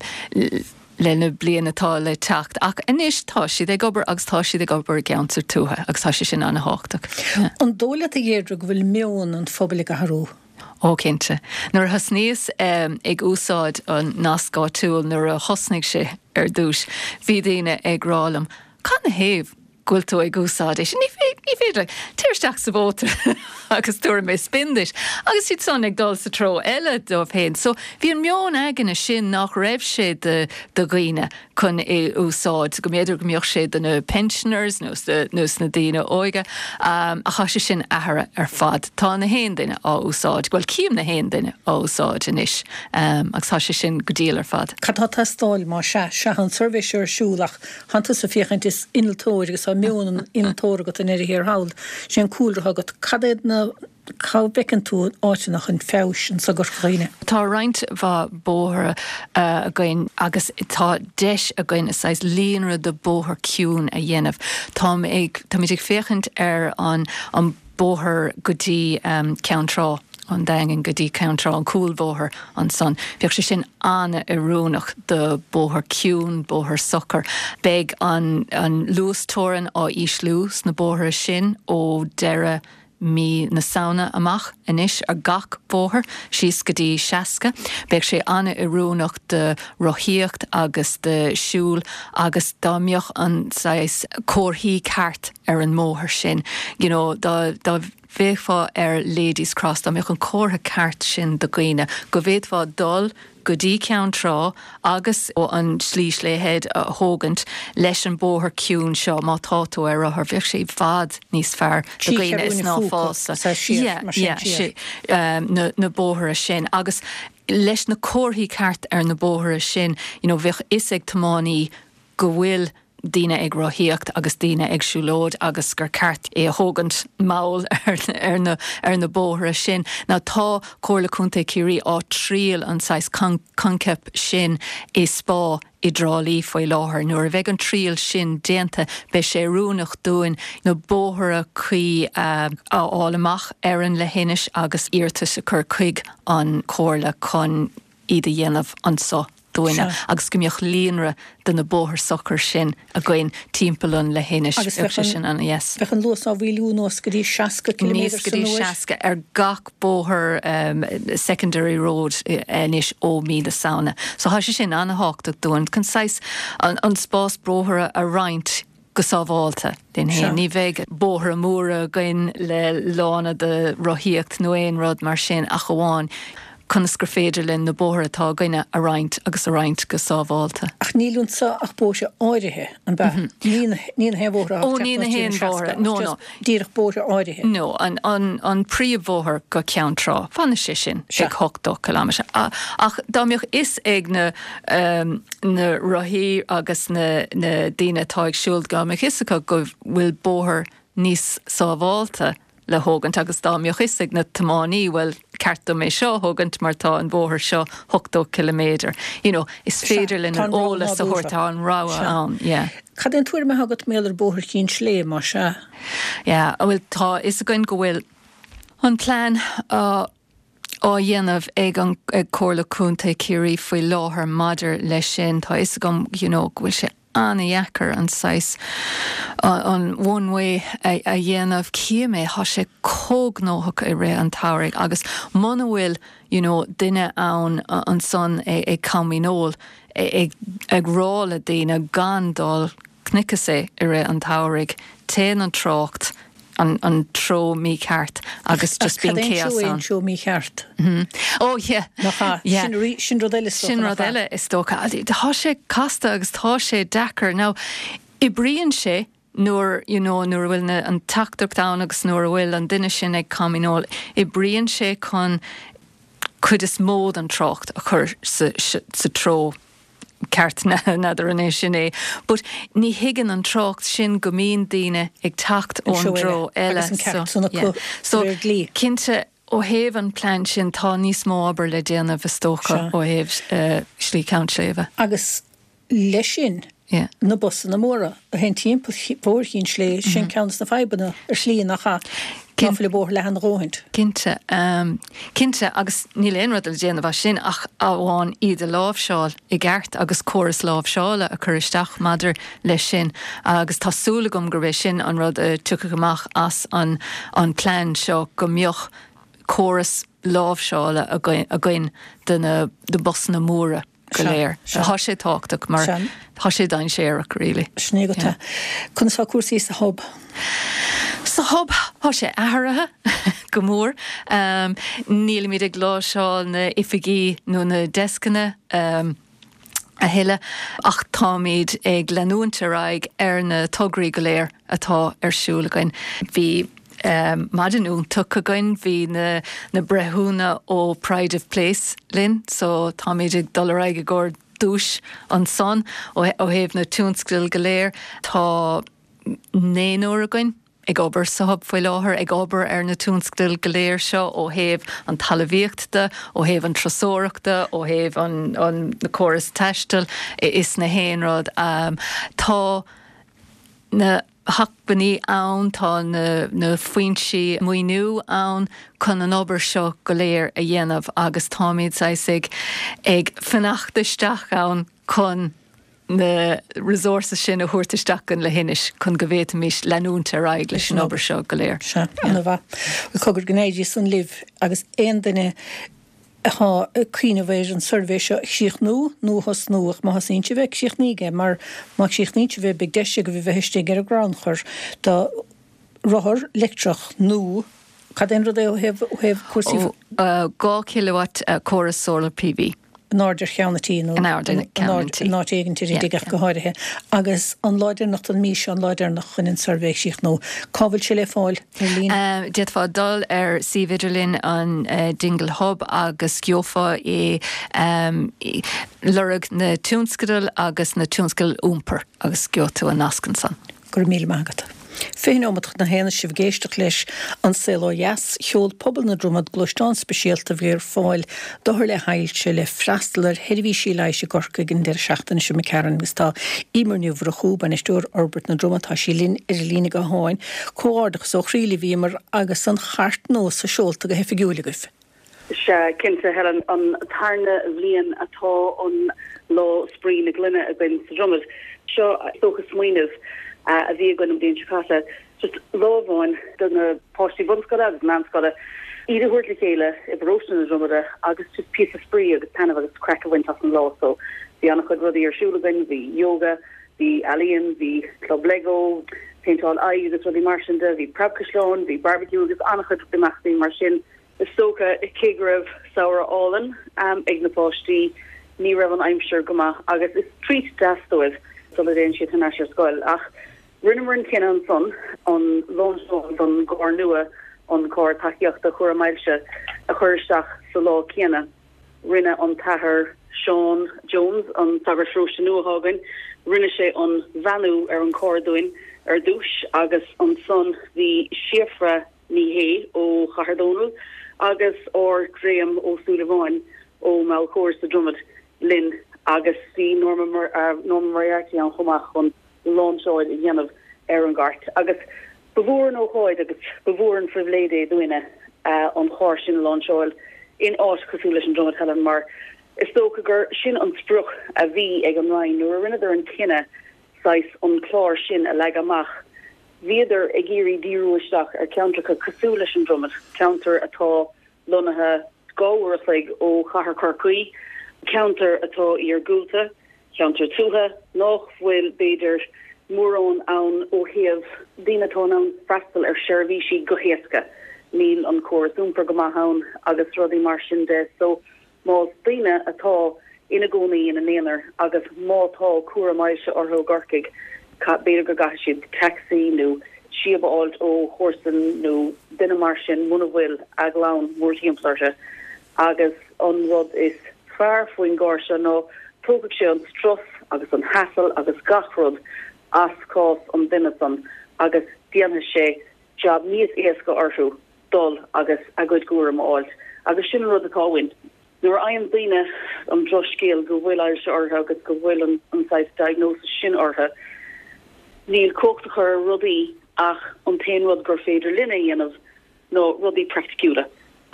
le na blianta atá le teacht ach anois tá siad ag obair agus tá siad ag obair i gceantar tuaithe agus tá sé sin an-thábhachtach. An dóigh leat a Dheirdre go bhfuil meon an phobail ag athrú. Ó cinnte. Nuair a thosnaíos um, ag úsáid an nasc áitiúil nuair a thosnaigh sé ar dtús, bhí daoine ag rá liom, Cad 'na thaobh go bhfuil tú ag úsáid é sin ní féidir téir isteach sa mhótar agus tabharfaidh mé spin duit agus siad san ag dul sa treo eile dóibh féin. So bhí an meon aigne sin nach raibh sé de de dhaoine chun é úsáid, go mb'fhéidir go mbeadh sé do na pensioners nó nó na daoine óga um, ach tá sé sin athraithe ar fad. Tá na haon duine á úsáid, Well cím na haon duine á úsáid anois um, agus tá sé sin go diail ar fad. Cad tá teastáil má sea sea an suirbhé seo ar siúl ach tá tusa féachaint is innealtóir agus tá meon an innealtóra agat i ndeireadh thiar thall sé an cúlra agat cad iad na cá bhfeiceann tú áiteanna chun feabhais anseo i gCorca Dhuibhne. Tá roinnt mhaith bóithre uh, againn agus tá deis againn is saghas líonra de bóthar ciúin a dhéanamh. Tá ag Táimid ag féachaint ar an an bóthar go dtí um, Ceann Trá an Daingean go dtí Ceann Trá an cúlbhóthar ansan. Bheadh sé sin an-oiriúnach do bóthar ciúin, bóthar socair. Beidh an, an luasteorainn á ísliú sna bóithre sin ó deireadh mí na Samhna amach anois ar gach bóthar síos go dtí seasca, Beidh sé an-oiriúnach de rothaíocht agus de siúl agus dá mbeadh an saghas comharthaí ceart ar an mbóthar sin. You know, dá, dá bhféachfá ar Ladies Cross, dá mbeadh an comhartha ceart sin do dhaoine, go bhféadfá dul go dtí Ceann Trá agus ó an slí Slea Head a thógaint leis an bóthar ciúin seo má tá tú ar rothar bheadh sé i bhfad níos fearr do dhaoine is ná fása na, na bóithre sin agus leis na comharthaí ceart ar na bóithre sin you know, bheadh fhios ag tiománaí go bhfuil daoine ag rothaíocht agus daoine ag siúlóid agus gur ceart é a thógaint mall ar, ar, na, ar na bóithre sin. Ná tá Comhairle Contae Chiarraí á triail an saghas coincheap sin i Spá i dTrá Lí faoi láthair. Nuair a bheidh an triail sin déanta beidh sé oiriúnach dúinn na bóithre cuí uh, a fháil amach ar an leithinis agus iarratas a chur chuig an Chomhairle chun iad a dhéanamh anseo dúinne agus go mbeadh líonra de na bóithre socair sin againn timpeall an leithinis Agus bheadh sé sin an yes. Bheadh an luas á mhaolú anuas go dtí seasca Níos go dtí seasca ar gach bóthar um, secondary road anois ó mí na Samhna. So tá sé sin an-thábhachtach dúinn chun saghas an, an spás bóithre a roinnt go sábháilte den héin. Ní bheidh bóithre móra againn le lána de rothaíocht nó aon rud mar sin ach amháin conas gur féidir linn na bóithre atá againne a roinnt agus a roinnt go sábháilte. Ach níl anseo ach bóithre áirithe an ba ní na haon bhóthar Ó ní na haon bhóthar no no díreach bóithre áirithe. No an, an, an príomhbhóthar go Ceann Trá fanfaidh sé sin ag ochtó kilometre. Ach dá mbeadh fhios ag na, um, na rothaí agus na, na daoine atá ag siúl go mbeadh fhios acu go bhfuil bóthar níos sábháilte le thógaint agus dá mbeadh fhios ag na tiománaí bhuel ceart dom é seo thógaint mar tá an bóthar seo ochtó kilometre. You know, is féidir linn an eolas a thabhairt an rogha ann. Yeah. Cad é an tuairim agat maidir le Bóthar Chinn Sléibhe mar sea? Yeah, bhfuil tá fhios againn go bhfuil an plean uh, á dhéanamh ag an ag Comhairle Contae Chiarraí faoi láthair maidir leis sin tá is agam you know, go bhfuil sé an-deacair an saghas an one way a, a dhéanamh címé tá sé chomh gnóthach i rith an tsamhraidh agus muna bhfuil you know, duine ann ansan ag, ag caminól ag, ag rá le daoine gan dul cnicase i rith an tsamhraidh téann an trácht an, an treo mícheart agus just bíonn chaos an treo mícheart. Mm -hmm. Oh yeah. yeah. Sin, sin rud eile sin rud eile is dócha. Tá sé casta agus tá sé deacair. Now oibríonn sé nuair you know, nuair bhfuil na, an teachtaireacht ann agus nuair a bhfuil an duine sin ag caminól, oibríonn sé chun cuid is mó den trácht a chur sa, sa, sa treo ceart n'fheadar an é sin é. But ní thuigeann an trácht sin go mbíonn daoine ag teacht ón dtreo eile. So, yeah. so cinnte ó thaobh an plean sin tá níos mó obair le déanamh is dócha ó thaobh uh, Slí Cheann Sléibhe. Agus leis sin Yeah. na busanna móra a théann timpeall Bhóthar Chinn Sléibhe sin ceann de na fadhbanna ar shlí nach ea nach bhfuil bóthar leathan a dhóthain. Cinnte um, cinnte agus níl aon rud le déanamh as sin ach amháin iad a láimhseáil i gceart agus córas láimhseála a chur isteach maidir leis sin agus tá súil agam gurb é sin an rud a tiocfaidh amach as an, an plean seo go mbeadh córas láimhseála againn de na de busanna móra go léir. Tá sé tábhachtach mar tá sé dainséarach really. Sin é go. Conas tá cúrsaí sa hub. Sa hub tá sé athraithe go mór. Um, Nílimid ag láimhseáil na oifigí nó na descanna um, a thuilleadh ach táimid ag leanúint ar aghaidh ar na tograí go léir atá ar siúl againn. Bhí um, maidin iontach againn bhí na, na breithiúna ó Pride of Place linn, so táimid ag dul ar aghaidh i gcomhair duais ansan ó, ó thaobh na tionscadail go léir tá naonúr againn ag obair sa hub faoi láthair ag obair ar na tionscadail go léir seo ó thaobh an talmhaíochta, ó thaobh an turasóireachta, ó thaobh an, an na córas taistil is na haon rud. Um, tá na hacmhainní ann tá na, na foinsí maoiniú ann chun an obair seo go léir a dhéanamh agus táimid ag ag fanacht isteach ann chun na resources sin a thabhairt isteach go Leithinis chun go bhféadfaimis leanúint ar aghaidh leis an obair seo go léir. Se an-mhaith. Cogar go n-éirí san libh agus aon duine atá ag cuimhneamh ar an suirbhé seo a chríochnú nó a thosnú ach má thosaíonn sibh é críochnaígí é mar má chríochnaíonn sibh é beidh deis agaibh bheith istigh ar an gcrannchur do rothar leictreach nó cad é an rud é ó thaobh ó thaobh cúrsaí Dhá kilowatt córas solar PV. In airde ar cheann an tí nó In airde ar cheann an tí. in áit éigin ar an dtigh go háirithe. Agus an lá deireanach den mhí seo an lá deireanach chun an suirbhé a chríochnú. Cá bhfuil sé le fáil ar líne? Um, D'fhéadfá dul ar suíomh idirlín an uh, Dingle Hub agus gheofá é um, lorg na tionscadail agus na tionscadail iompair agus gheobhaidh tú an nasc ansan. Go raibh míle maith agat. Fiche nóiméad chun a haon sibh ag éisteacht leis An Saol Ó Dheas, sheol pobal na Dromad gluaisteán speisialta a bhí ar fáil d'othair le hailse le freastal ar sheirbhísí leighis i gCorcaigh an deireadh seachtaine seo imigh tharainn agus tá Emer Ní Mhurchú, bainisteoir Fhorbairt na Droma, tá sí linn ar an líne gutháin. Comhghairdeachas ó chroí libh Emer agus an chairt nua seolta go hoifigiúil agaibh. Sea, cinnte Helen an tarna bhliain atá an lá spraoi na gloine againn sa Dromad. Seo dócha smaoineamh a bhí againn an bhliain seo caite. Just lá amháin do na páistí bunscoile agus meánscoile iad a thabhairt le chéile i bparóiste na Dromada agus just píosa spraoi agus taitneamh agus craic a bhaint as an lá so bhí an-chuid rudaí ar siúl againn, bhí yoga, bhí ealaíon, bhí club Lego, péinteáil aghaidh agus rudaí mar sin de, bhí preabchaisleán, bhí barbecue agus an-chuid imeachtaí mar sin. Is dócha cé go raibh samhradh álainn um, ag na páistí ní raibh an aimsir go maith agus is treat deas dóibh sula dtéann siad thar n-ais ar scoil ach rinneamar an cinneadh ansan an lainseáil don gcarr nua an carr tacaíochta chúram ailse a chur isteach sa lá céanna. Rinne an tAthair Seán Jones an sagart paróiste nua atá againn, rinne sé an bheannú ar an carr dúinn ar dtús agus ansan bhí Síofra Ní Shé ó Chathair Dónall agus ár Graham Ó Súilleabháin ó Mheall sa Dromad linn agus bhí Norma uh, Norma Moriarty ann chomh maith chun lainseáil a dhéanamh ar an gcairt. Agus ba mhór an ócáid agus ba mhór an phribhléid é dúinne an charr sin a láinseáil in áit cosúil leis an Dromad, Helen, mar is dócha gur sin an sprioc a bhí ag an Roinn nuair a rinneadar an cinneadh saghas an clár sin a leagadh amach. Bhíodar ag iarraidh díriú isteach ar ceantracha cosúil leis an Dromad, ceantar atá lonnaithe dhá uair a chloig ó chathair Chorcaí, ceantar atá iargúlta, ceantar tuaithe, nach bhfuil, b'fhéidir, mórán ann ó thaobh daoine atá in ann freastal ar sheirbhísí go héasca. Níl an córas iompair go maith ann agus rudaí mar sin de. So, más daoine atá ina gcónaí ina n-aonar agus má tá cúram ailse orthu i gCorcaigh, b'fhéidir go gcaithfidh siad tacsaí nó síob a fháilt ó chomharsan nó duine mar sin muna bhfuil a gclann mórthimpeall orthu. Agus an rud is fearr faoin gcarr seo ná tógfaidh sé an strus agus an hassle agus gach rud as cás an duine san agus déanfaidh sé jab níos éasca orthu dul agus a gcuid cúram a fháilt. Agus sin an rud atá uainn. Nuair a fhaigheann daoine an drochscéal go bhfuil ailse orthu agus go bhfuil an an saghas diagnosis sin orthu, níl cumhacht acu ar rudaí ach an t-aon rud gur féidir linn a dhéanamh ná rudaí praiticiúla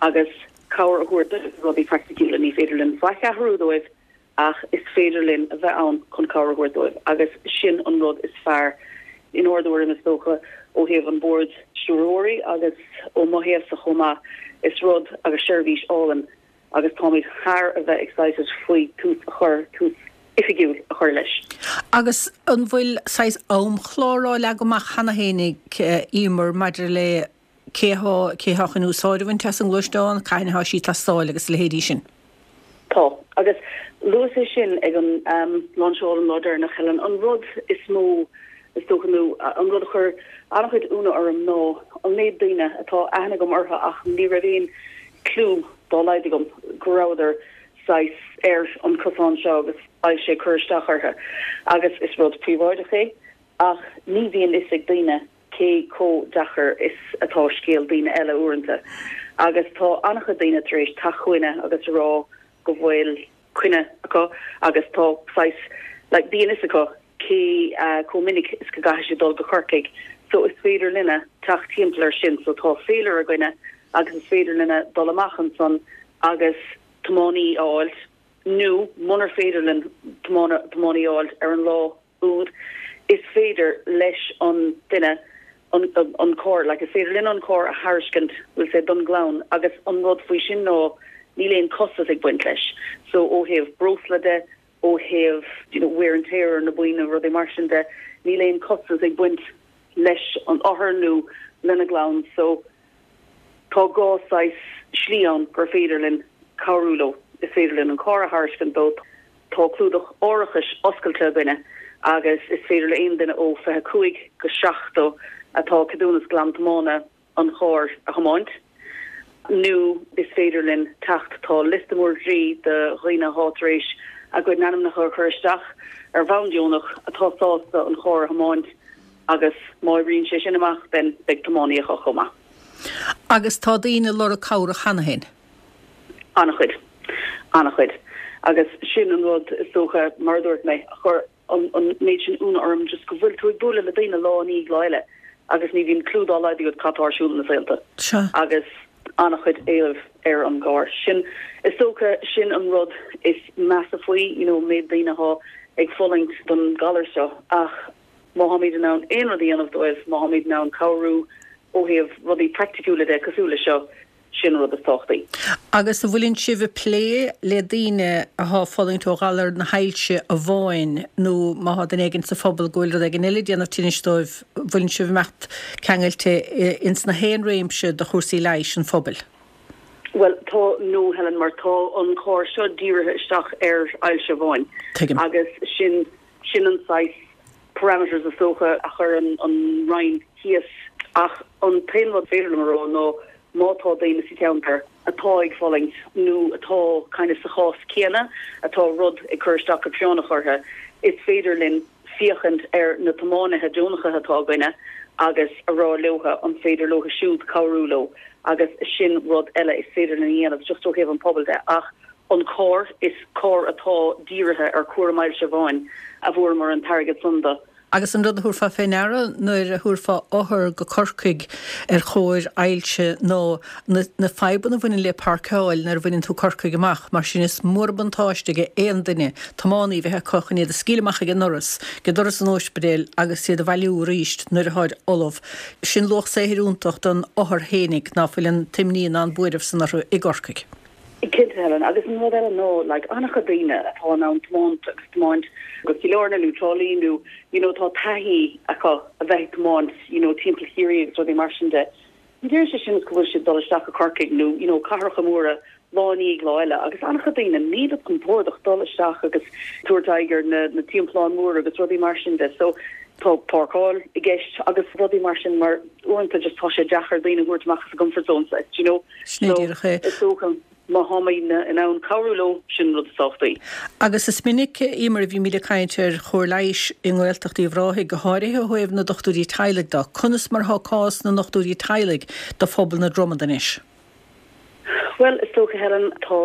agus cabhair a thabhairt dóibh rudaí praiticiúla. Ní féidir linn faic a athrú dóibh ach is féidir linn a bheith ann chun cabhair a thabhairt dóibh agus sin an rud is fearr inár dtuairim is dócha ó thaobh an Bord Stiúrthóirí agus ó mo thaobhsa chomh maith. Is rud agus seirbhís álainn agus táimid thar a bheith excited faoi tús a chur, tús oifigiúil a chur leis. Agus an bhfuil saghas amchlár á leagadh amach cheana féin ag Emer maidir le cé atá, cé atá chun úsáid a bhaint as an ngluaisteán, cathain atá sí ag teastáil agus a leithéidí sin? Tá. Agus luas é sin ag an lainseáil an lá deireanach, Helen. An rud is mó, is dócha, nó an rud a chuir an-chuid ionadh orm ná an méid daoine atá aithne agam orthu ach ní raibh aon clue dá laghad agam go rabhadar saghas ar an cosán seo agus ailse ag cur isteach orthu. Agus is rud príobháideach é ach ní bhíonn fhios ag daoine cé chomh deacair is atá scéal daoine eile uaireanta. Agus tá an-chuid daoine tar éis teacht chugainne agus a rá go bhfuil coinne acu agus tá saghas like bíonn fhios acu cé chomh minic is go gcaithfidh siad dul go Corcaigh so is féidir linne teacht timpeall air sin so tá féilire againne agus is féidir linne dul amach ansan agus tiománaí a fháilt nó munar féidir linn tiománaí a fháilt ar an lá úd is féidir leis an duine an an carr like is féidir linn an carr a thairiscint we'll say don gclann agus an rud faoi sin ná níl aon costas ag baint leis so ó thaobh breosla de ó thaobh you know wear and tear ar na boinn nó rudaí mar sin de níl aon costas ag baint leis an othar nó lena gclann so tá dhá saghas slí ann gur féidir linn cabhrú leo is féidir linn an carr a thairiscint dóibh tá clúdach árachais oscailte againne agus is féidir le aon duine ó fiche cúig go seachtó atá ceadúnas glan tiomána an charr a thiomáint nó is féidir linn teacht tá liosta mór groí de dhaoine atá tar éis a gcuid n-ainmneacha a chur isteach ar bhonn deonach atá sásta an charr a thiomáint agus má oibríonn sé sin amach then beidh tiománaí acu chomh maith. Agus tá daoine ag lorg cabhrach cheana féin? An-chuid. An-chuid. Agus sin an rud is dócha, mar a dúirt mé, a chuir an an méid sin ionadh orm, just go bhfuil tú ag bualadh le daoine lá i ndiaidh lá eile agus ní bhíonn clue dá laghad agat cad tá ar siúl ina saolta. Sea. Agus an-chuid éilimh ar an gcarr. Sin, is dócha, sin an rud is measa faoi, you know, an méid daoine atá ag fulaingt don galar seo ach má tháimid in ann aon rud a dhéanamh dóibh, má tháimid in ann cabhrú ó thaobh rudaí praiticiúla de cosúil le seo, sin an rud is tábhachtaí. Agus an bhfuileann sibh ag plé le daoine athá ag fulaingt ó ghalar na hailse amháin nó má thá duine éigin sa phobal go bhfuil rud éigin eile ag déanamh tinnis dóibh, an bhfuileann sibh ag imeacht ceangailte ins na haon réimse de chúrsaí leighis an phobail? Bhuel, tá, no Helen, mar tá an carr seo dírithe isteach ar ailse amháin. Tuigim. Agus sin, sin an saghas parameters is dócha a chuir an Roinn thíos. Ach an t-aon rud féidir liom a rá ná má tá daoine sa cheantar atá ag fulaingt nó atá kind of sa chás céanna, atá rud ag cur isteach go práinneach orthu, is féidir linn féachaint ar na tiománaithe deonacha atá againne agus a rá leotha an féidir leotha siúd cabhrú leo agus sin rud eile is féidir linn a dhéanamh just ó thaobh an pobail de. Ach an carr, is carr atá dírithe ar chúram ailse amháin a bhfuaireamar an t-airgead san do Agus an rud a thabharfá fé ndeara nuair a thabharfá othar go Corcaigh ar chóir ailse ná na na fadhbanna a bhaineann le páirceáil nuair a bhaineann tú Corcaigh amach, mar sin is mór an buntáiste ag aon duine tiománaí bheith acu chun iad a scaoileadh amach ag an ndoras, ag doras an óispidéil agus iad a bhailiú arís nuair atáid ullamh. Sin luach saothair iontach don othar fhéinig ná fuil an t-imní ná an buaireamh san orthu i gCorcaigh. Cinnte, Helen, agus an rud eile ná, like, an-chuid daoine atá in ann tiomáint agus tiomáint go Cill Airne nó Trá Lí nó, you know, tá taithí acu a bheith ag tiomáint, you know, timpeall Chiarraí agus rudaí mar sin de. Ní deireann sé sin go bhfuil siad dul isteach go Corcaigh nó, you know, cathracha móra lá i ndiaidh lá eile agus an-chuid daoine níl siad compordach dul isteach agus tabhairt aghaidh ar na, na timpealláin móra agus rudaí mar sin de. So, tá páirceáil i gceist agus rudaí mar sin mar uaireanta just tá sé deacair daoine a thabhairt amach as a gcomfort zone, you know. Sin é díreach é. Is dócha má tháimidne in ann cabhrú leo, sin rud is tábhachtaí. Agus is minic, Emer, a bhímid ag caint ar chóir leighis i nGaeltacht Uíbh Ráthaigh, go háirithe ó thaobh na dochtúirí teaghlaigh de. Conas mar atá cás na ndochtúirí teaghlaigh do phobal na Dromad anois? Bhuel, is dócha, Helen, tá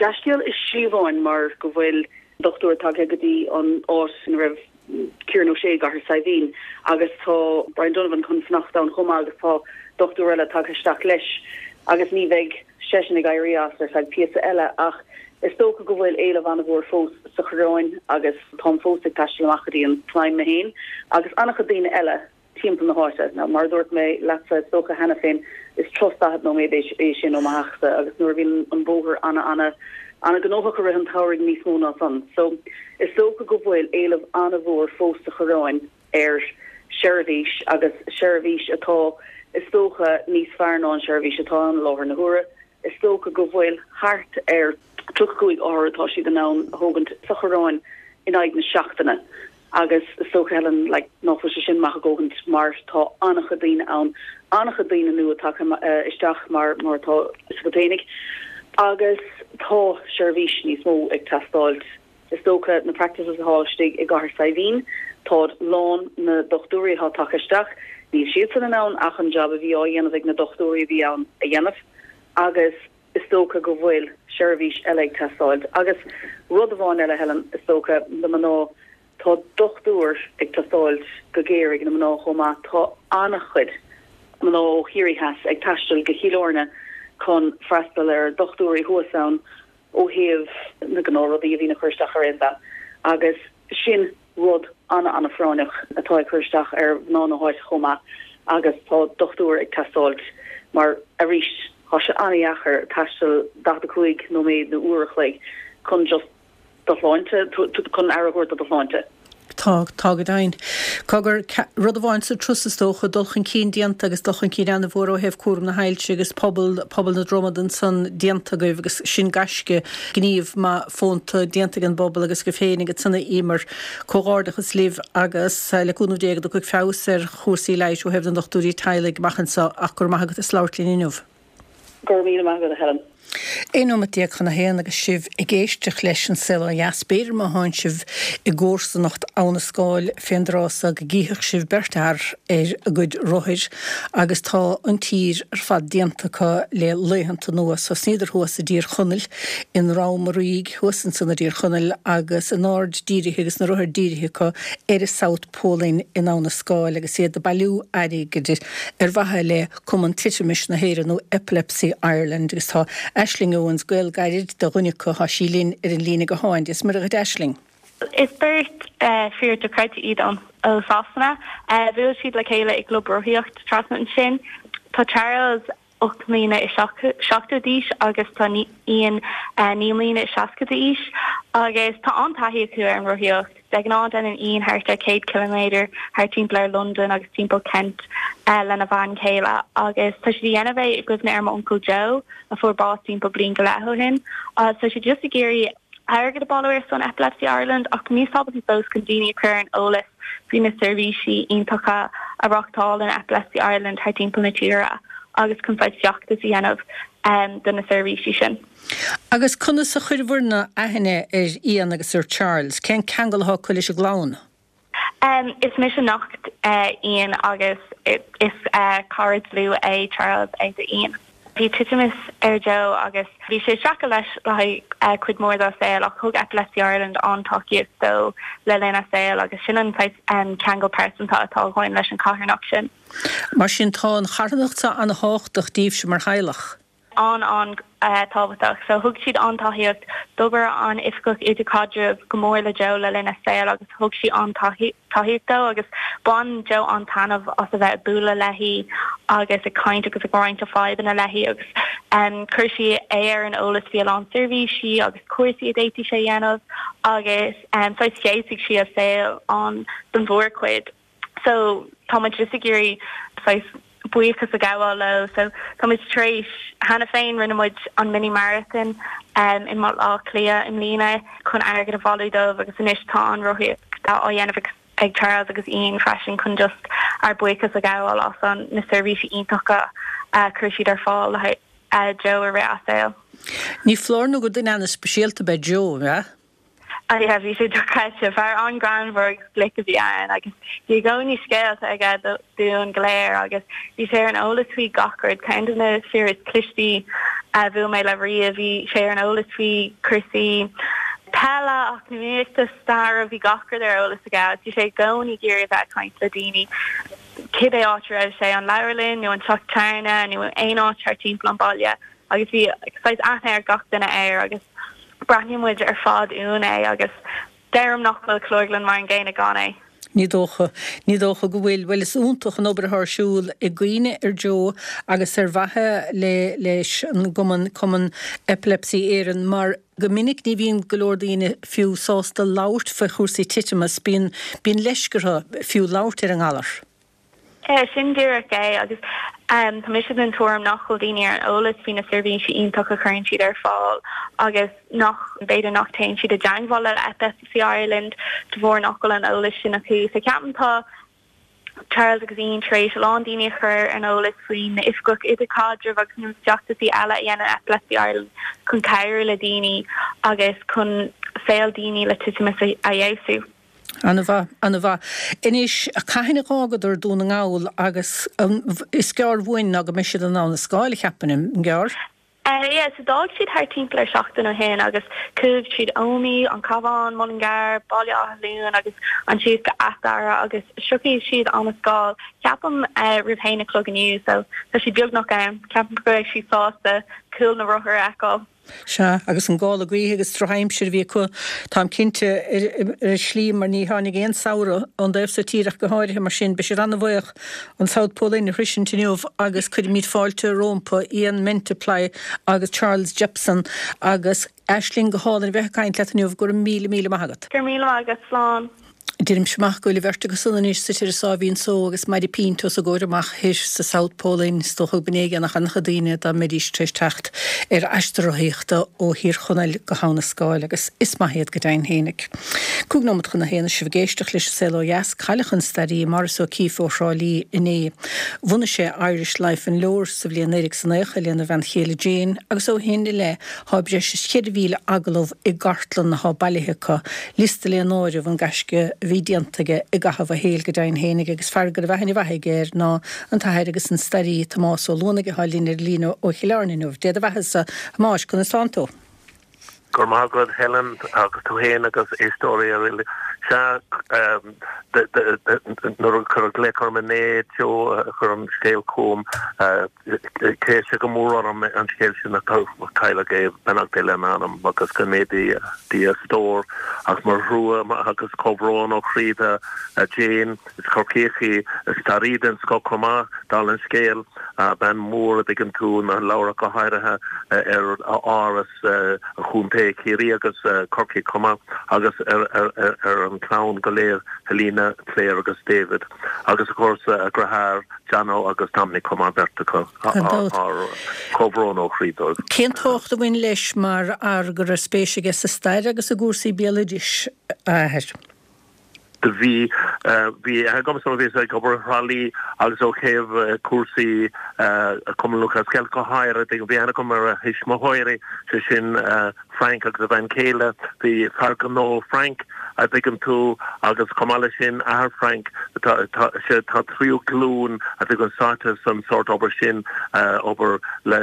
dea-scéal i slí amháin mar go bhfuil dochtúir tagtha go dtí an áit ina raibh Kieran O'Shea i gCathair Saidhbhín agus tá Brian Donovan chun fanacht ann chomh maith agus tá dochtúir eile tagtha isteach leis agus ní bheidh seisean ag éirí as ar feadh píosa eile ach is dócha go bhfuil éileamh an-mhór fós sa Choireán agus táim fós ag taisteal amach go dtí an tSnaidhm mé féin agus an-chuid daoine eile timpeall na háite. Now mar a dúirt mé leatsa is dócha cheana féin is turas daichead nóiméad é é sin ó mo theachsa agus nuair a bhíonn an bóthar ana ana ana gnóthach i rith an tsamhraidh níos mó ná san. So is dócha go bhfuil éileamh an-mhór fós sa Choireán ar sheirbhís agus seirbhís atá is dócha níos fearr ná an seirbhís atá ann i láthair na huaire. Is dócha go bhfuil thart ar tríocha cúig othar atá siad in ann a thógaint sa Choireán in aghaidh na seachtaine agus is dócha Helen like nach bhfuil sé sin maith a dhóthaint mar tá an-chuid daoine ann, an-chuid daoine nua tagtha isteach mar mar atá fhios agat fhéinig agus tá seirbhís níos mó ag teastáilt. Is dócha na practices atá istigh i gCathair Saidhbhín, táid lán na dochtúirí atá tagtha isteach, níl siadsan in ann ach an job a bhí á dhéanamh ag na dochtúirí a bhí ann a dhéanamh agus is dócha go bhfuil seirbhís eile ag teastáilt. Agus rud amháin eile Helen, is dócha na mná, tá dochtúir ag teastáilt go géar ag na mná chomh maith, tá an-chuid mná ó Chiarraí Theas ag taisteal go Cill Airne chun freastal ar dochtúirí thuas ann ó thaobh na gnáthrudaí a bhíonn ag cur isteach ar aon bhean agus sin rud an-an-phráinneach atá ag cur isteach ar mhná na háite chomh maith agus tá dochtúir ag teastáilt mar arís tá sé an-dheacair taisteal daichead a cúig nóiméad nó uair a chloig chun just do shláinte, chun aire a thabhairt do do shláinte. Tá, tá go deimhin. Cogar, rud amháin sa turas is dócha, dul chun cinn déanta agus dul chun cinn an-mhór ó thaobh cúram na hailse agus pobal, pobal na Dromad ansan déanta agaibh agus sin gaisce, gníomh maith fónta déanta ag an bpobal agus agaibh féin ansan a Emer. Comhghairdeachas libh agus le cúnamh Dé go dtiocfaidh feabhas ar chúrsaí leighis ó thaobh na ndochtúirí teaghlaigh amach anseo ach go raibh maith agat as labhairt linn inniu. Go raibh míle maith agat a Helen. Aon nóiméad déag chun a haon agus sibh ag éisteacht leis an Saol Ó Dheas. B'fhéidir má thánn sibh i gcomharsanacht Abha na Scáil fén dtráth so go gcífeadh sibh beirt fhear ar a gcuid rothair agus tá an tír ar fad déanta acu le laethanta anuas. Thosnaíodar thuas i dTír Chonaill, i nDrom an Rígh thuas ansan i dTír Chonaill agus a n-aird dírithe agus na rothair dírithe acu ar an South Pole Inn in Abha na Scáil agus iad ag bailiú airgid ar mhaithe le Cumann Titimais na hÉireann nó Epilepsy Ireland agus tá Aisling Owens, gaol gairid do dhuine acu, tá sí linn ar an líne gutháin. Dia is Muire dhuit Aisling. Is beirt fear dochreidte iad ó Sasana. Bhuail siad le chéile i gclub rothaíocht trasna ansin. Tá Charles ocht mbliana is seachtó d'aois agus tá Ian naoi mbliana is seasca d'aois agus tá an-taithí acu ar an rothaíocht. De ghnáth déanann Ian thart ar céad ciliméadar thart timpeall ar Londain agus timpeall Kent lena bhean chéile agus tá siad a dhéanamh é i gcuimhne ar m'uncail Joe a fuair bás timpeall bliain go leith ó shin. Tá siad just ag iarraidh airgead a bhailiú ar son Epilepsy Ireland ach níos tábhachtaí fós chun daoine a chur ar an eolas faoi na seirbhísí iontacha a reáchtálann Epilepsy Ireland thar timpeall na tíre agus chun saghas feachtas a dhéanamh do na seirbhísí sin. Agus conas a chuireabhair-ne aithne ar Ian agus ar Charles? Cén ceangal atá acu leis an gclann? Is mise neacht Ian agus is cara dlúth é Charles é do Ian. Bhí Bhí titimeas ar Joe agus bhí sé seacha leis le uh, cuid mór dá saol ach thug Epilepsy Ireland an-tacaíocht dó le linn a saol agus sin an um, ceangal pearsanta atá againn leis an charthanacht sin. Mar sin tá an charthanacht an-tábhachtach daoibhse mar theaghlach. an an uh, tábhachtach so thug siad an-tacaíocht d'oibir an oifigeach idirchaidrimh go mór le Joe le linn a saol agus thug sí an-tacaíocht dó agus bhain Joe an-taitneamh as a bheith ag bualadh léi agus ag caint agus ag roinnt a fadhbanna léi agus um, chuir sí é ar an eolas faoi a lán seirbhísí agus cúrsaí a d'fhéadfadh sé dhéanamh agus um, so d'éascaigh sí a saol an den mhórchuid. So tá just ag iarraidh buíochas a ghabháil leo so tá tar éis cheana féin rinne muid an mini marathon um, i mBaile Átha Cliath i mbliana chun airgead a bhailiú dóibh agus anois tá an rothaíocht á dhéanamh ag Charles agus Ian freisin chun just ár buíochas a ghabháil as an na seirbhísí iontacha uh, chuir siad ar fáil le uh, Joe i rith a saol. Ní foláir nó gur duine an-speisialta ab ea Joe, yeah? Yeah, bhí sé dochreidte fear an-ghreannmhar glic a bhí ann agus bhí i gcónaí scéalta aige dúinn go léir agus bhí sé ar an eolas faoi gach rud ceann de na fir is cliste a bhuail mé le riamh bhí sé ar an eolas faoi chúrsaí peile eacnamaíochta staire bhí gach rud ar eolas aige bhí sé i gcónaí ag iarraidh bheith caint le daoine cibé áit a raibh sé an leabharlann nó an teach tábhairne nó aon áit thar timpeall an baile agus bhí aithne ar gach duine air agus breathnaíonn muid ar fad uainn é agus deirim nach bhfuil Cló Iarghlann mar an gcéanna gan é. Ní dócha ní dócha go bhfuil bhfuil is iontach an obair ar siúl i gcuimhne ar Joe agus ar mhaithe le leis an gcumann Cumann Epilepsy Éireann mar go minic ní bhíonn go leor daoine fiú sásta labhairt faoi chúrsaí titimeas bíonn bíonn leisce orthu fiú labhairt ar an ngalar. É sin díreach é agus um, tá mise den tuairim nach bhfuil daoine ar an eolas faoi na seirbhísí iontacha a chuireann siad ar fáil agus nach b'fhéidir nach dtéann siad i dteagmháil le Epilepsy Ireland de bharr nach bhfuil an eolas sin acu so ceapaim tá Charles agus Ian tar éis a lán daoine a chur ar an eolas faoin oifigeach idirchaidrimh agus na feachtasaí eile a dhéanann Epilepsy Ireland chun cabhrú le daoine agus chun saol daoine le titimeas a fheabhsú. An-mhaith an-mhaith. Anois cathain a d'fhágadar Dún na nGall agus um, is gearr uainn ná go mbeidh siad in Abha na Scáil ceapaim an gearr. Uh, yeah, so d'fhág siad thar timpeall ar seachtain ó shin agus chuaigh siad Ómaigh, an Cabhán, Mullingar, Baile Átha Luain agus ansin go Ath Dara agus sroichfidh siad an Scáil ceapaim uh, roimh haon a chlog inniu so tá siad beagnach ann ceapaim go mbeidh siad sásta cúl na rothar a fheiceáil. Sea agus an gála gaoithe agus drochaimsir a bhí acu táim cinnte ar slí mar ní tháinig aon samhradh ón dtaobh seo tíre go háirithe mar sin beidh siad an-bhuíoch an South Pole Inn a shroichint inniu agus cuirimid fáilte rompu Ian Mantiply agus Charles Jepson agus Aisling go hálainn bheith ag caint leat inniu go raibh míle míle maith agat. Gur míle agus slán. Deirim amach go bhfuil an bheirt acu san anois sa tir sábhín só agus Mary Pint os a gcomhair amach thoir sa South Pole Inn is dócha go mb'éigean ach an-chuid daoine dá mbeidís tar éis teacht ar aistear rothaíochta ó Thír Chonaill go hAbha na Scáil agus is maith iad go deimhin fhéinig. Cúig nóiméad chun a haon sibh ag éisteacht leis an Saol Ó Dheas cailleadh an staraí Maurice O'Keeffe ó Thrá Lí inné. Bhunaigh sé Irish Life and Lore sa bhliain naoi déag is naocha lena bhean chéile Jane agus ó shin i leith tá breis is ceithre mhíle agallamh i gcartlann atá bailithe acu, liosta le náireamh an gaisce bhí déanta aige i gcaitheamh a shaoil go deimhin fhéinig agus fear go raibh aithne mhaith aige air ná an t-athair agus an staraí Tomás Ó Luanaigh atá linn ar líne ó Chill Airne inniu. Dé do bheatha-sa a Thomáis conas tánn tú. Gur maith agat Helen agus tú féin agus éisteoirí uile. Sea nuair a cuireadh glaoch orm inné Joe chuir an scéal chugam chlis sé go mór orm an scéal sin a cailleadh é beannacht Dé lena anam agus go méadaí Dia a stór ach mo thrua agus comhbhrón ó chroí do Jane is Corcaíoch í staraí den scoth chomh maith dála an scéil bean mór a dtuigeann tú na leabhra go háirithe ar áras a chontae Ciarraí agus Corcaigh chomh maith agus ar ar ar an chlann go léir Helena, Claire agus David agus of course a deartháir Jono agus Dominic chomh maith beirt acu ár comhbhrón ó chroí dóibh. Cén tábhacht a bhain leis mar fhear go raibh spéis aige sa stair agus i gcúrsaí béaloidis a athair? Do bhí bhí agamsa bhí ag obair i dTrá Lí agus ó thaobh cúrsaí Cumann Lúthchleas Gael go háirithe bhí aithne agam ar a thuismitheoirí sé sin Frank agus a bhean chéile bhí fear gnó Frank a dtuigeann tú, agus chomh maith leis sin, athair Frank, tá, tá, sé, tá tríú glúin a dtuigeann sáite san sórt obair sin, obair le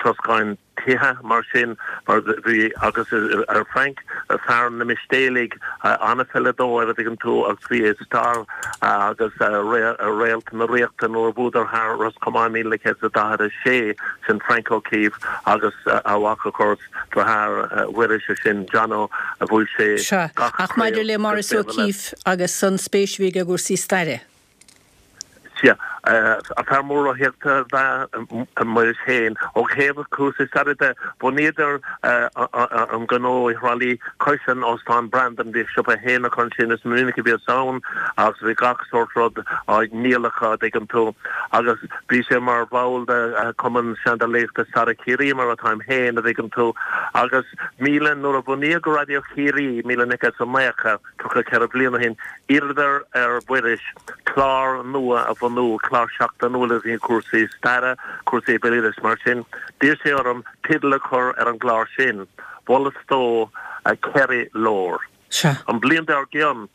troscáin tithe mar sin, mar bhí, agus ar Frank, fear na Mistéalaigh, an-pheileadóir a dtuigeann tú, agus bhí star agus réalt na Ríochta nuair a bhuadar thar Ros Comáin míle naoi gcéad is a daichead a sé, sin Frank O'Keeffe agus a mhac of course, deartháir Mhuiris, sé sin Johnno, a bhuaigh sé Sea, gach ach maidir craobh le agus Maurice craobh eile. O'Keeffe agus an spéis a bhí aige i gcúrsaí staire. Sea, fear mór rothaíochta ab ea Muiris féin. Ó thaobh cúrsaí staire de, bhunaíodar an gnó i Thrá Lí cois an Óstán Brandon. Bhíodh siopa féin acu ansin, is minic a bhíos ann agus bhí gach sórt rud á ndíol acu, a dtuigeann tú. Agus bhí sé mar bhall de Chumann Seandálaíochta Staire Chiarraí, mar atáim féin, a dtuigeann tú. Agus míle, nuair a bunaíodh Raidió Chiarraí, míle naoi gcéad is a naocha, tríocha ceithre bliana ó shin, d'iarradar ar Mhuiris clár nua a bhunú, clár seachtainiúil a bhí cúrsaí staire, cúrsaí béaloidis mar sin. D'iarr sé orm teideal a chur ar an gclár sin. Mholas dó Kerry Lore. Sea. An bhliain dár gcionn,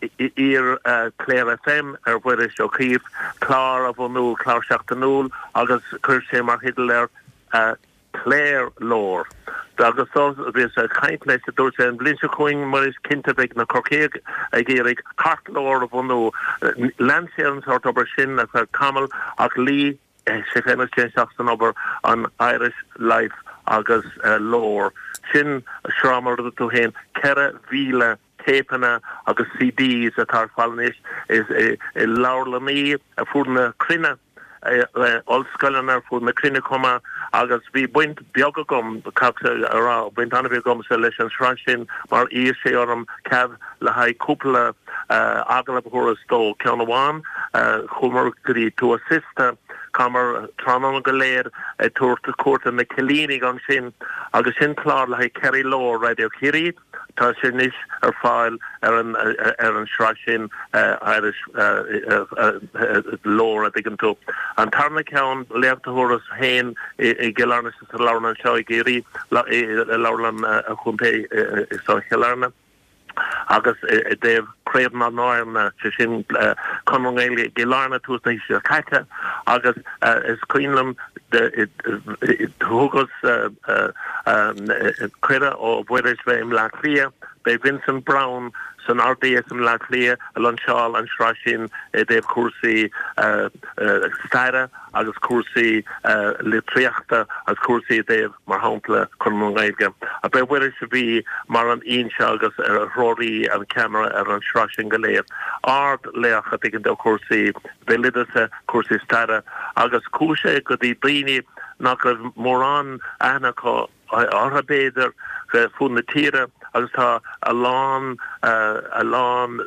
d'iarr Clare FM ar Mhuiris Ó Cíobh clár a bhunú, clár seachtainiúil, agus chuir sé mar theideal air Clare Lore. Agus do bhíos ag caint leis, dúirt sé, an bhliain seo chugainn, Muiris, cinnte beidh na Corcaígh ag iarraidh Cork Lore a bhunú. Lean sé an sórt obair sin ar feadh tamaill ach luigh sé féin agus téann isteach san obair an Irish Life agus Lore. Sin sraith mar a dúirt tú féin, ceithre mhíle téipeanna agus CDs atá ar fáil anois i leabharlannaí ar fud na cruinne. ollscoileanna ar fud na cruinne chomh maith agus bhí baint beag agam, caithfidh a rá, baint an-bheag agamsa leis an sraith sin mar d'iarr sé orm cead le haghaidh cúpla agallamh a thabhairt dó. Ceann amháin, chuamar go dtí Tuath Siosta, chaitheamar tráthnóna go léir ag tabhairt cuairt ar na Cillínigh ansin agus sin clár le haghaidh Kerry Lore Raidió Chiarraí. Tá sé anois ar fáil ar an ar an sraith sin Irish Lore a dtuigeann tú. An tarna ceann, léacht a thabharas féin i gCill Airne sa leabharlann anseo i gCiarraí, i leabharlann an chontae i Cill Airne, agus i dtaobh Craobh na nAirne, sé sin Conradh na Gaeilge i gCill Airne tús na haoise seo caite, agus is cuimhin liom thugas cuireadh ó Mhuiris bheith i mBleá Cliath, b'é Vincent Browne san R D S i mBleá Cliath a lainseáil an sraith sin i dtaobh cúrsaí staire agus cúrsaí litríochta agus cúrsaí i dtaobh, mar shampla, Conradh na Gaeilge. B'é Muiris a bhí mar an fhoinse agus threoraí an ceamara ar an sraith sin go léir. Ard-laoch a dtuigeann do chúrsaí béaloideasa, cúrsaí staire agus chuaigh sé go dtí daoine nach raibh mórán aithne acu orthu b'fhéidir, fud na tíre agus tá a lán, a lán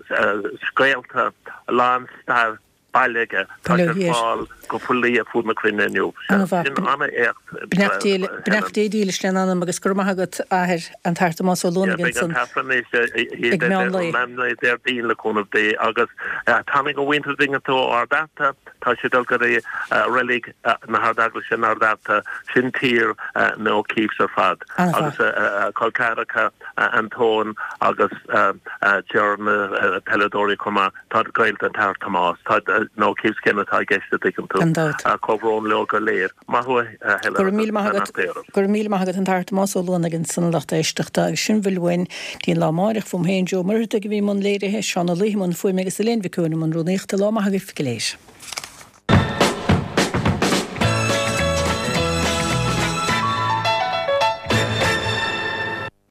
scéalta, a lán stair bailithe aige. Tá sé ar fáil go poiblí ar fud na cruinne inniu. Ana-mhaith. Sin an-éacht, Beannacht Dé Helen. Beannacht Dé dílis lena anam agus go raibh maith agat, a Athair, an tAthair Tomás Ó Yeah, Luanaigh beidh an ansan t-aifreann anois ag meán lae. meán lae Déardaoin le cúnamh Dé agus tháinig a mhuintir dtuigeann tú ó Ard Fhearta, tá siad ag dul go dtí reilig na hArd-Eaglaise in Ard Fhearta, sin tír na O'Keeffes ar fad Ana-mhaith. agus a col ceathracha Antóin agus Ger na peileadóirí chomh maith. Tá gaolta an tAthair Tomás. Tá na O'Keeffes céanna atá i gceist a dtuigeann tú. Gan dabht. Comhbhrón leo go léir. Maith thú a Helen Go raibh agus míle maith agat. beannacht Dé oraibh. Go raibh míle maith agat an tAthair Tomás Ó Luanaigh ansan a lucht éisteachta agus sin a bhfuil uainn dtí an lá amáireach fúm féin Joe Muircheartaigh a bhí i mbun léirithe, Seán Ó Laoithe i mbun fuaime agus Elaine Mhic Eoin i mbun rúnaíochta. Lá maith agaibh go léir.